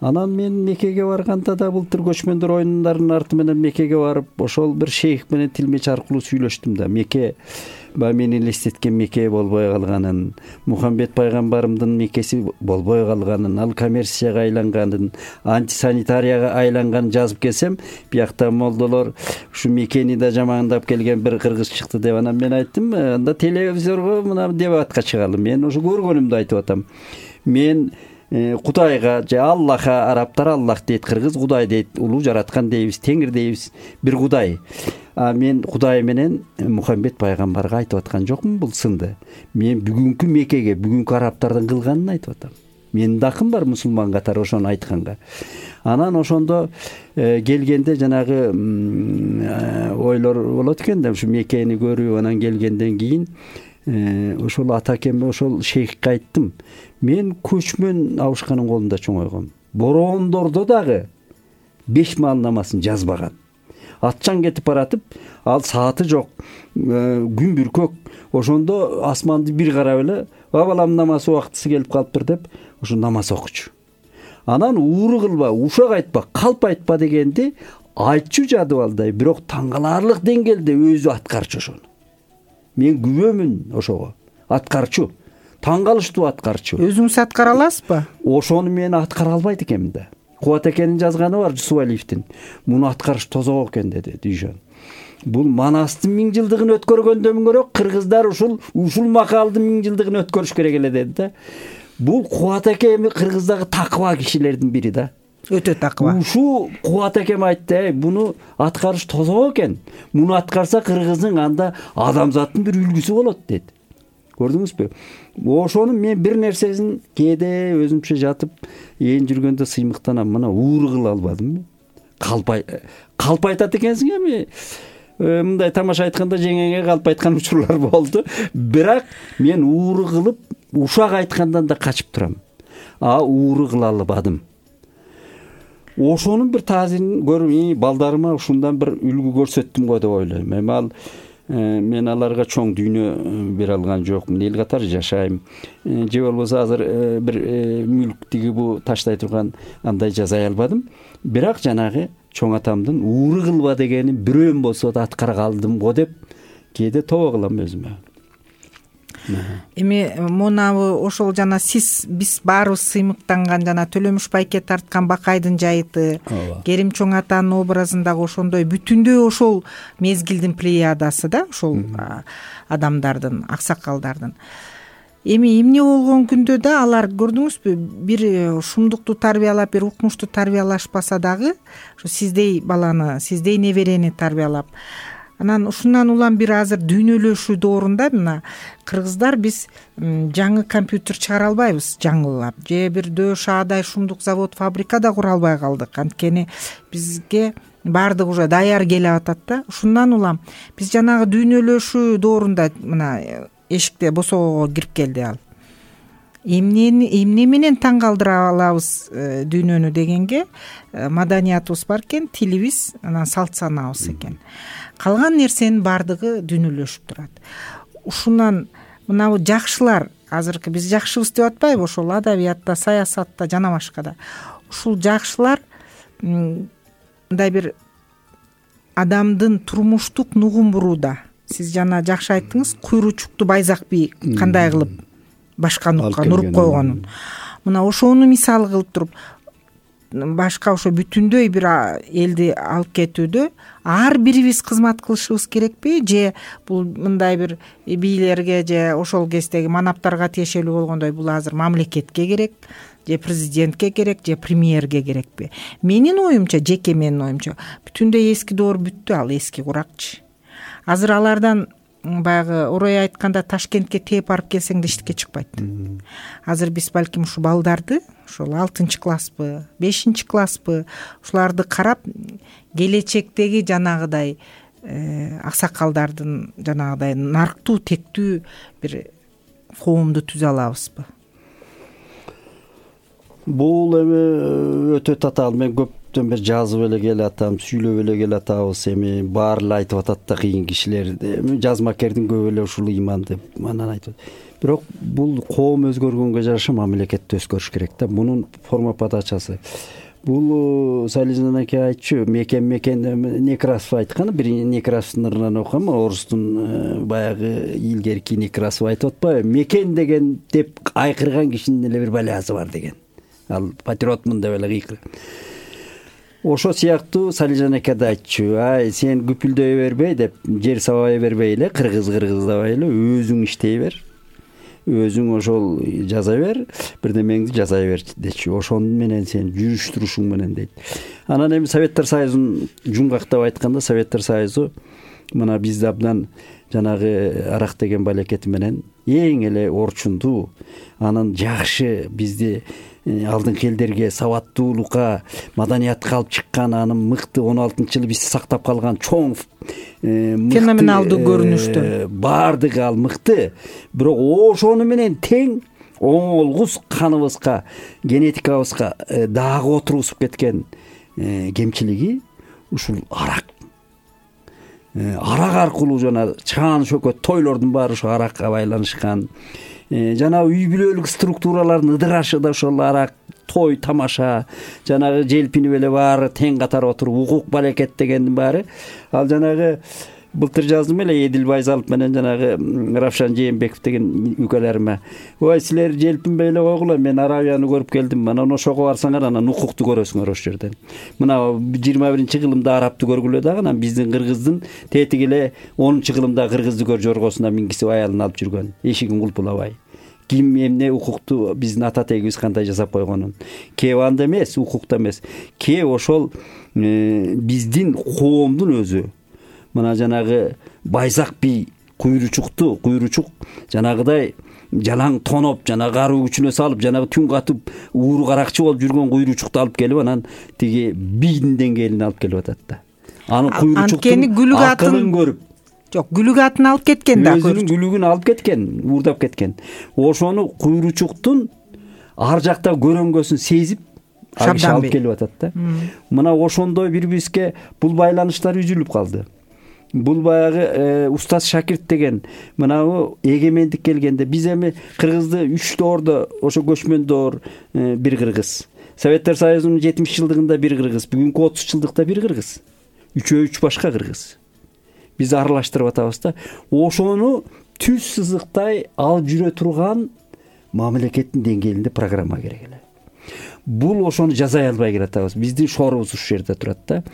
Анан мен Меккеге барганда да былтыр көчмөндөр оюндарынын арты менен Меккеге барып, ошол бир шейх менен тилмеч аркылуу сүйлөштүм да. Мекке баягы мени элестеткен Мекке болбой калганын, Мухаммед пайгамбарымдын Меккеси болбой калганын, ал коммерцияга айланганын, антисанитарияга айланганын жазып келсем, биякта молдолор ушу Меккени да жамандап келген бир кыргыз чыкты деп. Анан мен айттым, анда телевизорго мына дебатка чыгалы. Мен ушу көргөнүмдү айтып атам. Мен Кудайга же Аллахка, араптар Аллах дейт, кыргыз Кудай дейт, улуу жараткан дейбиз, теңир дейбиз, бир Кудай. А мен Кудай менен Мухаммед пайгамбарга айтып аткан жокмун бул сынды. Мен бүгүнкү Меккеге, бүгүнкү араптардын кылганын айтып атам. Менин да акым бар мусулман катары ошону айтканга. Анан ошондо келгенде жанагы ойлор болот экен да, ушу Меккени көрүп анан келгенден кийин ошол атакеме ошол шейхке айттым. Мен көчмөн абышканын колунда чоңойгом. Бороондордо дагы беш маал намазын жазбаган. Атчан кетип баратып, ал сааты жок, күн бүркөк. Ошондо асманды бир карап эле, "Ба балам, намаз убактысы келип калыптыр" деп, ошо намаз окучу. Анан ууру кылба, ушак айтпа, калп айтпа дегенди айтчу жадып алдай, бирок таң каларлык деңгээлде өзү аткарчу ошону. Мен күбөмүн ошого. Аткарчу. Таң калыштуу аткарчу. Өзүңүз аткара аласызбы? Ошону мен аткара албайт экенмин да. Кубат экенин жазганы бар Жусупалиевдин. Муну аткарыш тозок экен деди Дүйшөн. Бул Манастын миң жылдыгын өткөргөндөн көрө кыргыздар ушул ушул макалдын миң жылдыгын өткөрүш керек эле деди да. Бул Кубат экен кыргыздагы такыба кишилердин бири да. Өтө такыба. Ушу Кубат экем айтты, буну аткарыш тозок экен. Муну аткарса кыргыздын анда адамзаттын бир үлгүсү болот деди. Көрдүңүзбү? Ошону мен бир нерсесин кээде өзүмчө жатып, ээн жүргөндө сыймыктанам. Мына ууру кыла албадым. Калп калп айтат экенсиң эми. Мындай тамаша айтканда жеңеңе калп айткан учурлар болду. Бирок мен ууру кылып, ушак айткандан да качып турам. А ууру кыла албадым. Ошонун бир таасирин көрүп, балдарыма ушундан бир үлгү көрсөттүм го деп ойлойм. Эми ал мен аларга чоң дүйнө бере алган жокмун, эл катары жашайм. Же болбосо азыр бир мүлк тиги бу таштай турган андай жазай албадым. Бирок жанагы чоң атамдын ууру кылба дегенин бирөөм болсо да аткара калдым го деп кээде тобо кылам өзүмө. Эми монабы ошол жана сиз биз баарыбыз сыймыктанган жана Төлөмүш байке тарткан Бакайдын жайыты, Керим чоң атанын образындагы ошондой бүтүндөй ошол мезгилдин плеядасы да, ошол адамдардын, аксакалдардын. Эми эмне болгон күндө да алар көрдүңүзбү, бир шумдукту тарбиялап, бир укмушту тарбиялашпаса дагы, ошо сиздей баланы, сиздей неберени тарбиялап, анан ушундан улам бир азыр дүйнөлөшүү доорунда мына кыргыздар биз жаңы компьютер чыгара албайбыз жаңылап, же бир дөш аадай шумдук завод, фабрика да кура албай калдык. Анткени бизге баардыгы уже даяр келип атат да. Ушундан улам биз жанагы дүйнөлөшүү доорунда мына эшикте босогого кирип келди ал. Эмнени эмне менен таң калтыра алабыз дүйнөнү дегенге маданиятыбыз бар экен, тилибиз, анан салт санаабыз экен. Калган нерсенин баардыгы дүйнөлөшүп турат. Ушундан мына жакшылар, азыркы биз жакшыбыз деп атпайбы, ошол адабиятта, саясатта жана башкада. Ушул жакшылар мындай бир адамдын турмуштук нугун бурууда. Сиз жана жакшы айттыңыз, куйручукту Байзак би кандай кылып башка нукка нуруп койгонун. Мына ошону мисал кылып туруп, башка ошо бүтүндөй бир элди алып кетүүдө ар бирибиз кызмат кылышыбыз керекпи, же бул мындай бир бийлерге же ошол кездеги манаптарга тиешелүү болгондой бул азыр мамлекетке керек, же президентке керек, же премьерге керекпи? Менин оюмча, жеке менин оюмча, бүтүндөй эски доор бүттү, ал эски куракчы. Азыр алардан баягы орой айтканда Ташкентке тээп барып келсең да иштикке чыкпайт. Азыр биз балким ушу балдарды, ошол алтынчы класспы, бешинчи класспы, ушуларды карап келечектеги жанагыдай аксакалдардын жанагыдай нарктуу, тектүү бир коомду түзө алабызбы? Бул эми өтө татаал. Мен көптөн бери жазып эле келатам, сүйлөп эле келатабыз. Эми баары эле айтып атат да, кыйын кишилер. Эми жазмакердин көбү эле ушул ыйманды анан айтып. Бирок бул коом өзгөргөнгө жараша мамлекет да өзгөрүш керек да. Мунун форма подачасы. Бул Салижан аке айтчу, мекен мекен Некрасов айткан, бир Некрасовдун ырынан окугам, орустун баягы илгерки Некрасов айтып атпайбы? Мекен деген деп айкырган кишинин эле бир баласы бар деген. Ал патриотмун деп эле кыйкыр. Ошо сыяктуу Салижан аке да айтчу, ай сен күпүлдөй бербей деп, жер сабай бербей эле, кыргыз кыргыздабай эле, өзүң иштей бер. Өзүң ошол жаза бер, бирдемеңди жаза бер дечи. Ошон менен сен жүрүш турушуң менен дейт. Анан эми Советтер Союзун жумгактап айтканда, Советтер Союзу мына бизди абдан жанагы арак деген балекети менен эң эле орчундуу, анын жакшы бизди алдыңкы элдерге сабаттуулукка, маданиятка алып чыккан, анын мыкты он алтынчы жылы бизди сактап калган чоң феноменалдуу көрүнүштөр баардыгы ал мыкты. Бирок ошону менен тең оңолгус каныбызга, генетикабызга дагы отургузуп кеткен кемчилиги ушул арак. Арак аркылуу жана чаан шөкөт тойлордун баары ошо аракка байланышкан. Жана үй бүлөлүк структуралардын ыдырашы да ошол арак, той тамаша, жанагы желпинип эле баары тең катар отуруп, укук балекет дегендин баары. Ал жанагы былтыр жаздым эле Эдил Байзалов менен жанагы Равшан Жээнбеков деген үкөлөрүмө. Ой, силер желпинбей эле койгула, мен Аравияны көрүп келдим. Анан ошого барсаңар, анан укукту көрөсүңөр ошол жерден. Мына жыйырма биринчи кылымда арабты көргүлө дагы, анан биздин кыргыздын тетиги эле онунчу кылымда кыргызды көр жоргосуна мингизип аялын алып жүргөн. Эшигин кулпулабай. Ким эмне укукту биздин ата тегибиз кандай жасап койгонун. Кээ анда эмес, укукта эмес. Кээ ошол биздин коомдун өзү. Мына жанагы Байзак би куйручукту, куйручук жанагыдай жалаң тоноп, жанагы аруу күчүнө салып, жанагы түн катып ууру каракчы болуп жүргөн куйручукту алып келип, анан тиги бийдин деңгээлине алып келип атат да. Аны куйручуктун акылын көрүп, жок, күлүк атын алып кеткен да. Өзүнүн күлүгүн алып кеткен, уурдап кеткен. Ошону куйручуктун ар жакта көрөнгөсүн сезип алып келип атат да. Мына ошондой бири-бирибизге бул байланыштар үзүлүп калды. Бул баягы устаз шакирт деген мынау эгемендик келгенде биз эми кыргызды үч доордо, ошо көчмөн доор бир кыргыз. Советтер Союзунун жетимиш жылдыгында бир кыргыз, бүгүнкү отуз жылдыкта бир кыргыз. Үчөө үч башка кыргыз. Биз аралаштырып атабыз да. Ошону түз сызыктай алып жүрө турган мамлекеттин деңгээлинде программа керек эле. Бул ошону жаза албай келатабыз. Биздин шорубуз ушул жерде турат да.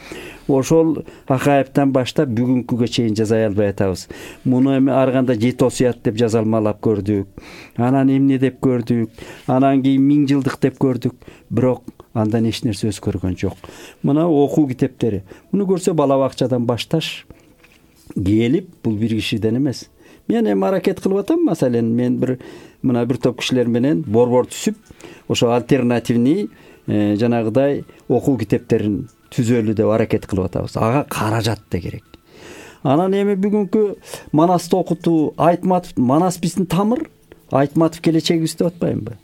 Ошол Акаевтан баштап бүгүнкүгө чейин жаза албай атабыз. Муну эми ар кандай жети осуят деп жазалмалап көрдүк. Анан эмне деп көрдүк. Анан кийин миң жылдык деп көрдүк. Бирок андан эч нерсе өзгөргөн жок. Мына окуу китептери. Муну көрсө бала бакчадан башташ келип, бул бир кишиден эмес. Мен эми аракет кылып атам, маселен, мен бир мына бир топ кишилер менен борбор түзүп, ошо альтернативный жанагыдай окуу китептерин түзөлү деп аракет кылып атабыз. Ага каражат да керек. Анан эми бүгүнкү Манасты окутуу, Айтматов, Манас биздин тамыр, Айтматов келечегибиз деп атпаймынбы?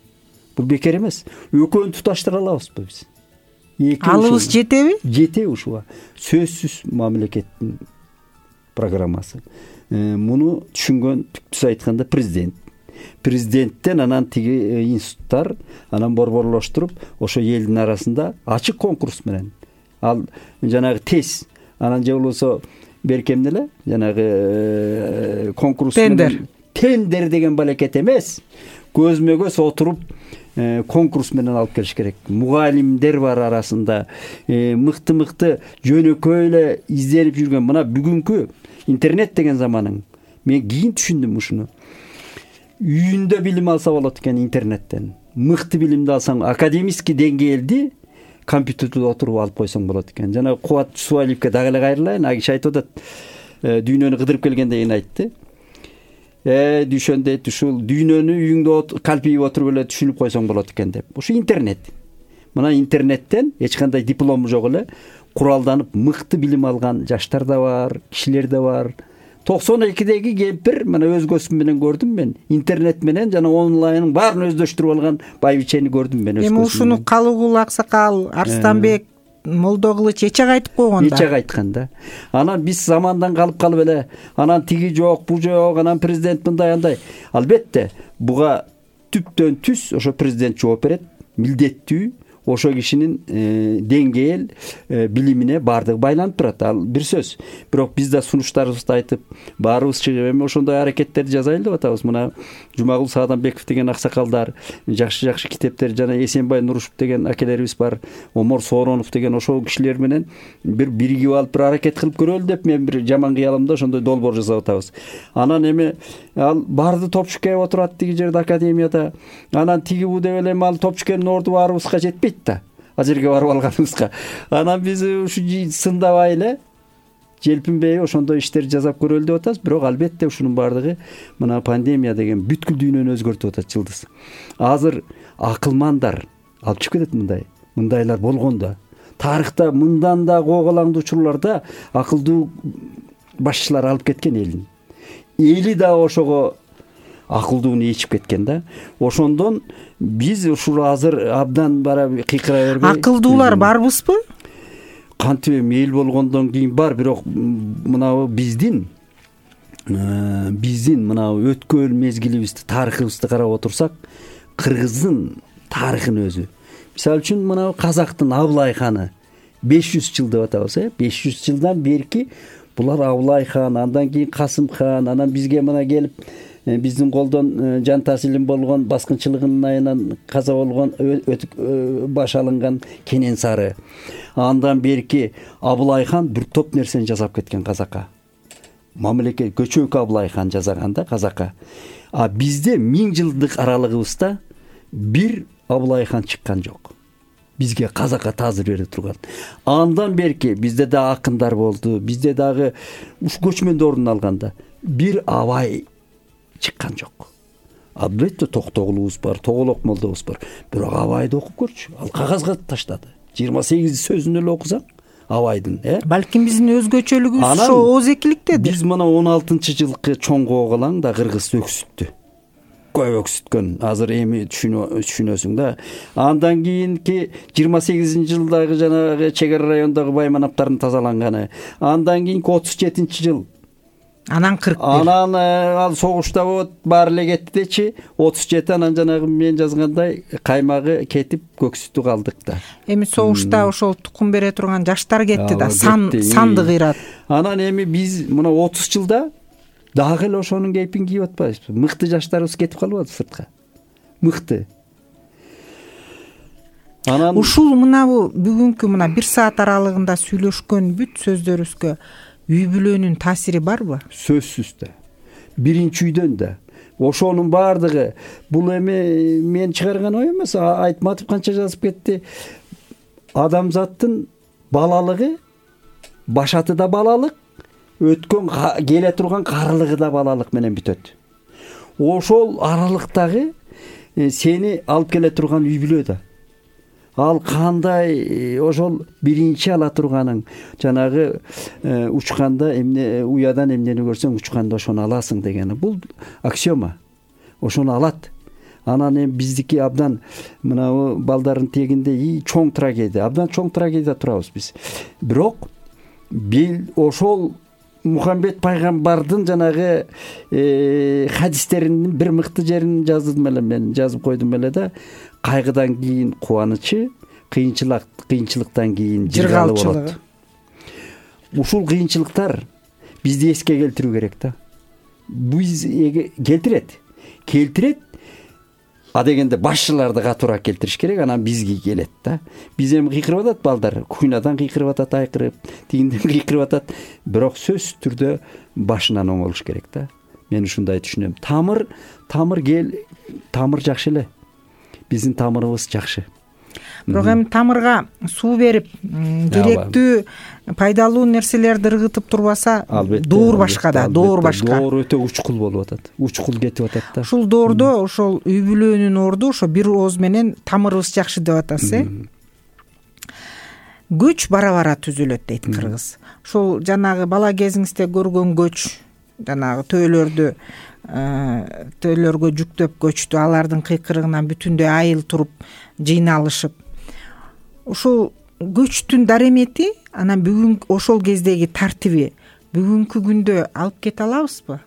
Бул бекер эмес. Экөөнү туташтыра алабызбы биз? Алыбыз жетеби? Жетеби ушуга. Сөзсүз мамлекеттин программасы. Муну түшүнгөн, түптүз айтканда, президент. Президенттен анан тиги институттар анан борборлоштуруп, ошо элдин арасында ачык конкурс менен. Ал жанагы тез, анан же болбосо беркем эле, жанагы конкурс тендер. Тендер деген балекет эмес. Көзмө көз отуруп, конкурс менен алып келиш керек. Мугалимдер бар арасында, мыкты мыкты жөнөкөй эле изденип жүргөн. Мына бүгүнкү интернет деген заманың. Мен кийин түшүндүм ушуну. Үйүндө билим алса болот экен интернеттен. Мыкты билимди алсаң, академический деңгээлди компьютерде отуруп алып койсоң болот экен. Жана Кубат Субалиевке дагы эле кайрылайын. Аг киши айтып атат, дүйнөнү кыдырып келгенде кийин айтты. Э, düşөндө ушул дүйнөнү үйүңдө калпийип отуруп эле түшүнүп койсоң болот экен деп. Ушу интернет. Мына интернеттен эч кандай диплому жок эле куралданып мыкты билим алган жаштар да бар, кишилер да бар. токсон экидеги кемпир мына өз көзүм менен көрдүм мен. Интернет менен жана онлайнын баарын өздөштүрүп алган байбичени көрдүм мен өз көзүм. Эми ушуну Калыгул аксакал, Арстанбек, Молдо Кылыч эч ак айтып койгон да. Эч ак айткан да. Анан биз замандан калып калып эле, анан тиги жок, бу жок, анан президент мындай андай. Албетте, буга түптөн түз ошо президент жооп берет, милдеттүү. Ошо кишинин деңгээл билимине баардыгы байланып турат. Ал бир сөз. Бирок биз да сунуштарыбызды айтып, баарыбыз чыгып эми ошондой аракеттерди жазайлы деп атабыз. Мына Жумагул Саадамбеков деген аксакалдар, жакшы-жакшы китептер, жана Эсенбай Нурушев деген акелерибиз бар, Омор Сооронов деген ошол кишилер менен бир биригип алып бир аракет кылып көрөлү деп мен бир жаман кыялымда ошондой долбоор жасап атабыз. Анан эми ал барды топчукке отурат тиги жерде академияда. Анан тиги бу деп эле ал топчукенин орду баарыбызга жетпейт да. Ал жерге барып алганыбызга. Анан биз ушу сындабай эле желпинбей ошондой иштерди жасап көрөлү деп атабыз. Бирок албетте ушунун баардыгы мына пандемия деген бүткүл дүйнөнү өзгөртүп атат, Жылдыз. Азыр акылмандар алып чыгып кетет мындай. Мындайлар болгон да. Тарыхта мындан да коголаңдуу учурларда акылдуу башчылар алып кеткен элин. Эли да ошого акылдууну ичип кеткен да. Ошондон биз ушул азыр абдан бара кыйкыра бербей. Акылдуулар барбызбы? Кантип эми эл болгондон кийин бар, бирок мына биздин биздин мына өткөн мезгилибизди, тарыхыбызды карап отурсак, кыргыздын тарыхын өзү. Мисалы үчүн мына казактын Абылай ханы беш жүз жыл деп атабыз, э? беш жүз жылдан берки булар Абылай хан, андан кийин Касым хан, анан бизге мына келип биздин колдон жан тасилим болгон, баскынчылыгынын айынан каза болгон, баш алынган Кенен Сары. Андан берки Абылай хан бир топ нерсени жасап кеткен казакка. Мамлекет көчөк Абылай хан жасаганда казакка. А бизде миң жылдык аралыгыбызда бир Абылай хан чыккан жок. Бизге казакка таазир берип турган. Андан берки бизде да акындар болду, бизде дагы уш көчмөндө ордун алганда бир Абай чыккан жок. Албетте Токтогулубуз бар, Тоголок молдобуз бар. Бирок Абайды окуп көрчү. Ал кагазга таштады. жыйырма сегиз сөзүн эле окусаң Абайдын, э? Балким биздин өзгөчөлүгүбүз ошо озекиликтеdir. Биз мына он алтынчы жылкы чоң коголаң да кыргыз өксүттү. Көп өксүткөн. Азыр эми түшүнөсүң да. Андан кийинки жыйырма сегизинчи жылдагы жанагы чек ара райондогу байманаптардын тазаланганы. Андан кийинки отуз жетинчи жыл. Анан кырк бир. Анан ал согушта болот, баары эле кетти дечи, отуз жети анан жанагы мен жазгандай каймагы кетип көксүтү калдык да. Эми согушта ошол тукум бере турган жаштар кетти да, сан санды кыйрат. Анан эми биз мына отуз жылда дагы эле ошонун кейпин кийип атпайбызбы? Мыкты жаштарыбыз кетип калбады сыртка. Мыкты. Анан ушул мына бу бүгүнкү мына бир саат аралыгында сүйлөшкөн бүт сөздөрүбүзгө үй бүлөнүн таасири барбы? Сөзсүз да. Биринчи үйдөн да. Ошонун баардыгы бул эми мен чыгарган ой эмес, Айтматов канча жазып кетти. Адамзаттын балалыгы, башаты да балалык, өткөн келе турган карылыгы да балалык менен бүтөт. Ошол аралыктагы сени алып келе турган үй бүлө да. Ал кандай ошол биринчи ала турганың, жанагы учканда эмне уядан эмнени көрсөң учканда ошону аласың дегени. Бул аксиома. Ошону алат. Анан эми биздики абдан мына балдардын тегинде чоң трагедия, абдан чоң трагедия турабыз биз. Бирок бил ошол Мухаммед пайгамбардын жанагы хадистеринин бир мыкты жерин жаздым эле мен, жазып койдум эле да. Кайгыдан кийин кубанычы, кыйынчылык, кыйынчылыктан кийин жыргалы болот. Ушул кыйынчылыктар бизди эске келтирүү керек да. Биз келтирет. Келтирет. а дегенде башчыларды катуураак келтириш керек, анан бизге келет да. Биз эми кыйкырып атат балдар, куйнадан кыйкырып атат, айкырып, тигинден кыйкырып атат, бирок сөзсүз түрдө башынан оңолуш керек да. Мен ушундай түшүнөм. Тамыр, тамыр кел, тамыр жакшы эле. Биздин тамырыбыз жакшы. Бирок эми тамырга суу берип, керектүү пайдалуу нерселерди ыргытып турбаса, доор башка да, доор башка. Доор өтө учкул болуп атат. Учкул кетип атат да. Ушул доордо ошол үй бүлөнүн орду ошо бир ооз менен тамырыбыз жакшы деп атасыз, э? Көч бара-бара түзүлөт дейт кыргыз. Ошол жанагы бала кезиңизде көргөн көч, жанагы төөлөрдү төөлөргө жүктөп көчтү, алардын кыйкырыгынан бүтүндөй айыл туруп жыйналышып. Ошол көчтүн даремети анан бүгүн ошол кездеги тартиби бүгүнкү күндө алып кете алабызбы?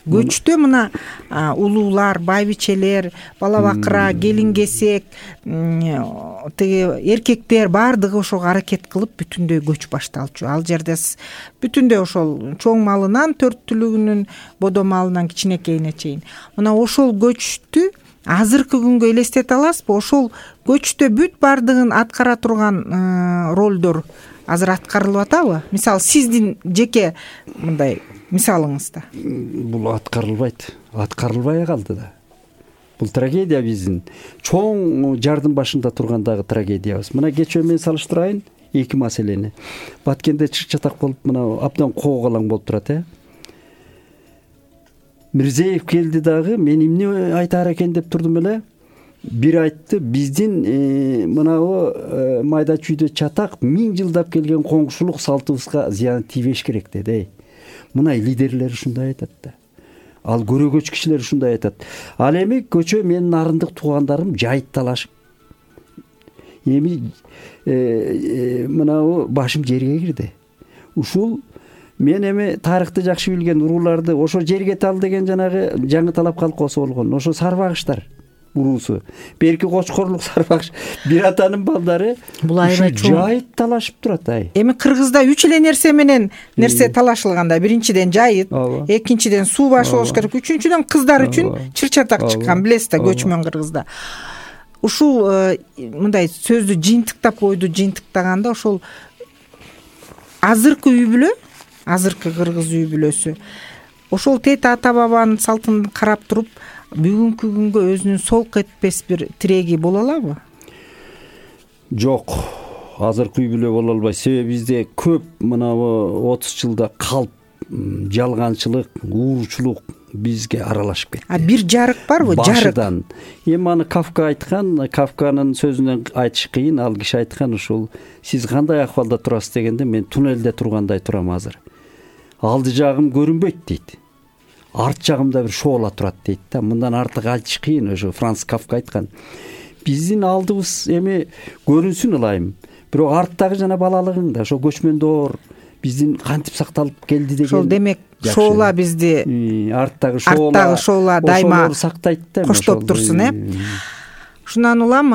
Көчтө мына улуулар, байбичелер, бала бакыра, келин кесек, тиги эркектер баардыгы ошого аракет кылып бүтүндөй көч башталчу. Ал жерде бүтүндөй ошол чоң малынан, төрт түлүгүнүн бодо малынан кичинекейине чейин. Мына ошол көчтү азыркы күнгө элестете аласызбы? Ошол көчтө бүт баардыгын аткара турган ролдор азыр аткарылып атабы? Мисалы, сиздин жеке мындай мисалыңызда. Бул аткарылбайт. Аткарылбай калды да. Бул трагедия биздин. Чоң жардын башында тургандагы трагедиябыз. Мына кечээ мен салыштырайын эки маселени. Баткенде чыр-чатак болуп, мына абдан коогалаң болуп турат, э? Мирзеев келди дагы, мен эмне айтаар экен деп турдум эле. Бир айтты, биздин мынабу майда чүйдө чатак миң жылдап келген коңгушулук салтыбызга зыян тийбеш керек деди. Мына лидерлер ушундай айтат да. Ал көрөгөч кишилер ушундай айтат. Ал эми көчө менин арындык туугандарым жайыт талашып. Эми мынабу башым жерге кирди. Ушул мен эми тарыхты жакшы билген урууларды ошо жерге тал деген жанагы жаңы талап колхозу болгон. Ошо сарбагыштар уруусу. Берки кочкорлук сарбагыш бир атанын балдары бул аябай чоң жайыт талашып турат. Ай. Эми Кыргызда үч эле нерсе менен нерсе талашылганда, биринчиден жайыт, экинчиден суу башы болуш керек, үчүнчүдөн кыздар үчүн чыр-чатак чыккан, билесиз да, көчмөн Кыргызда. Ушул мындай сөздү жыйынтыктап койду, жыйынтыктаганда ошол азыркы үй бүлө, азыркы кыргыз үй бүлөсү ошол тете ата бабанын салтын карап туруп бүгүнкү күнгө өзүнүн солк этпес бир тиреги боло алабы? Жок, азыркы үй бүлө боло албайт. Себеби бизде көп мынабу отуз жылда калп, жалганчылык, уурчулук бизге аралашып кетти. А бир жарык барбы? Жарык. Эми аны Кафка айткан, Кафканын сөзүнөн айтыш кыйын, ал киши айткан ушул: сиз кандай акыбалда турасыз дегенде, мен туннелде тургандай турам азыр. Алды жагым көрүнбөйт дейт. Арт жагымда бир шоола турат дейт да. Мындан артык айтыш кыйын, ошо Франц Кафка айткан. Биздин алдыбыз эми көрүнсүн ылайым. Бирок арттагы жана балалыгың да ошо көчмөн доор биздин кантип сакталып келди деген. Ошол демек шоола бизди арттагы шоола, арттагы шоола дайыма сактайт да. Коштоп турсун, э? Ушундан улам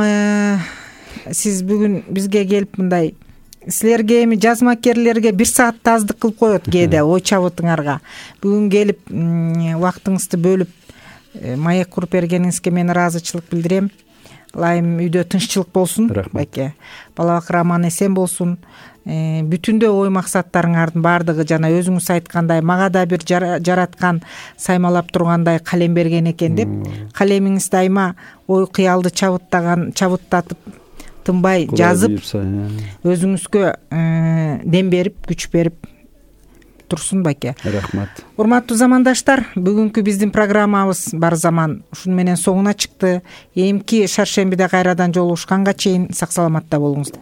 сиз бүгүн бизге келип мындай силерге эми жазмакерлерге бир саатта аздык кылып коет кээде ой чабытыңарга. Бүгүн келип убактыңызды бөлүп маек куруп бергениңизге мен ыраазычылык билдирем. Ылайым үйдө тынччылык болсун, байке. Бала бакыр аман эсен болсун. Бүтүндөй ой максаттарыңардын баардыгы жана өзүңүз айткандай мага да бир жараткан саймалап тургандай калем берген экен деп, калемиңиз дайыма ой кыялды чабыттаган, чабыттатып тынбай жазып, өзүңүзгө дем берип, күч берип турсун, байке. Рахмат. Урматтуу замандаштар, бүгүнкү биздин программабыз бар заман ушун менен соңуна чыкты. Эмки шаршембиде кайрадан жолугушканга чейин сак саламатта болуңуздар.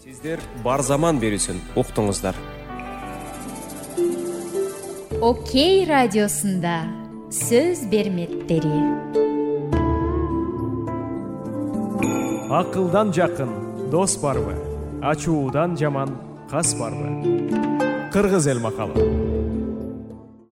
Сиздер бар заман берүүсүн уктуңуздар. Окей радиосунда сөз берметтери. Акылдан жакын дос барбы? Ачуудан жаман кас барбы? Кыргыз эл макалы.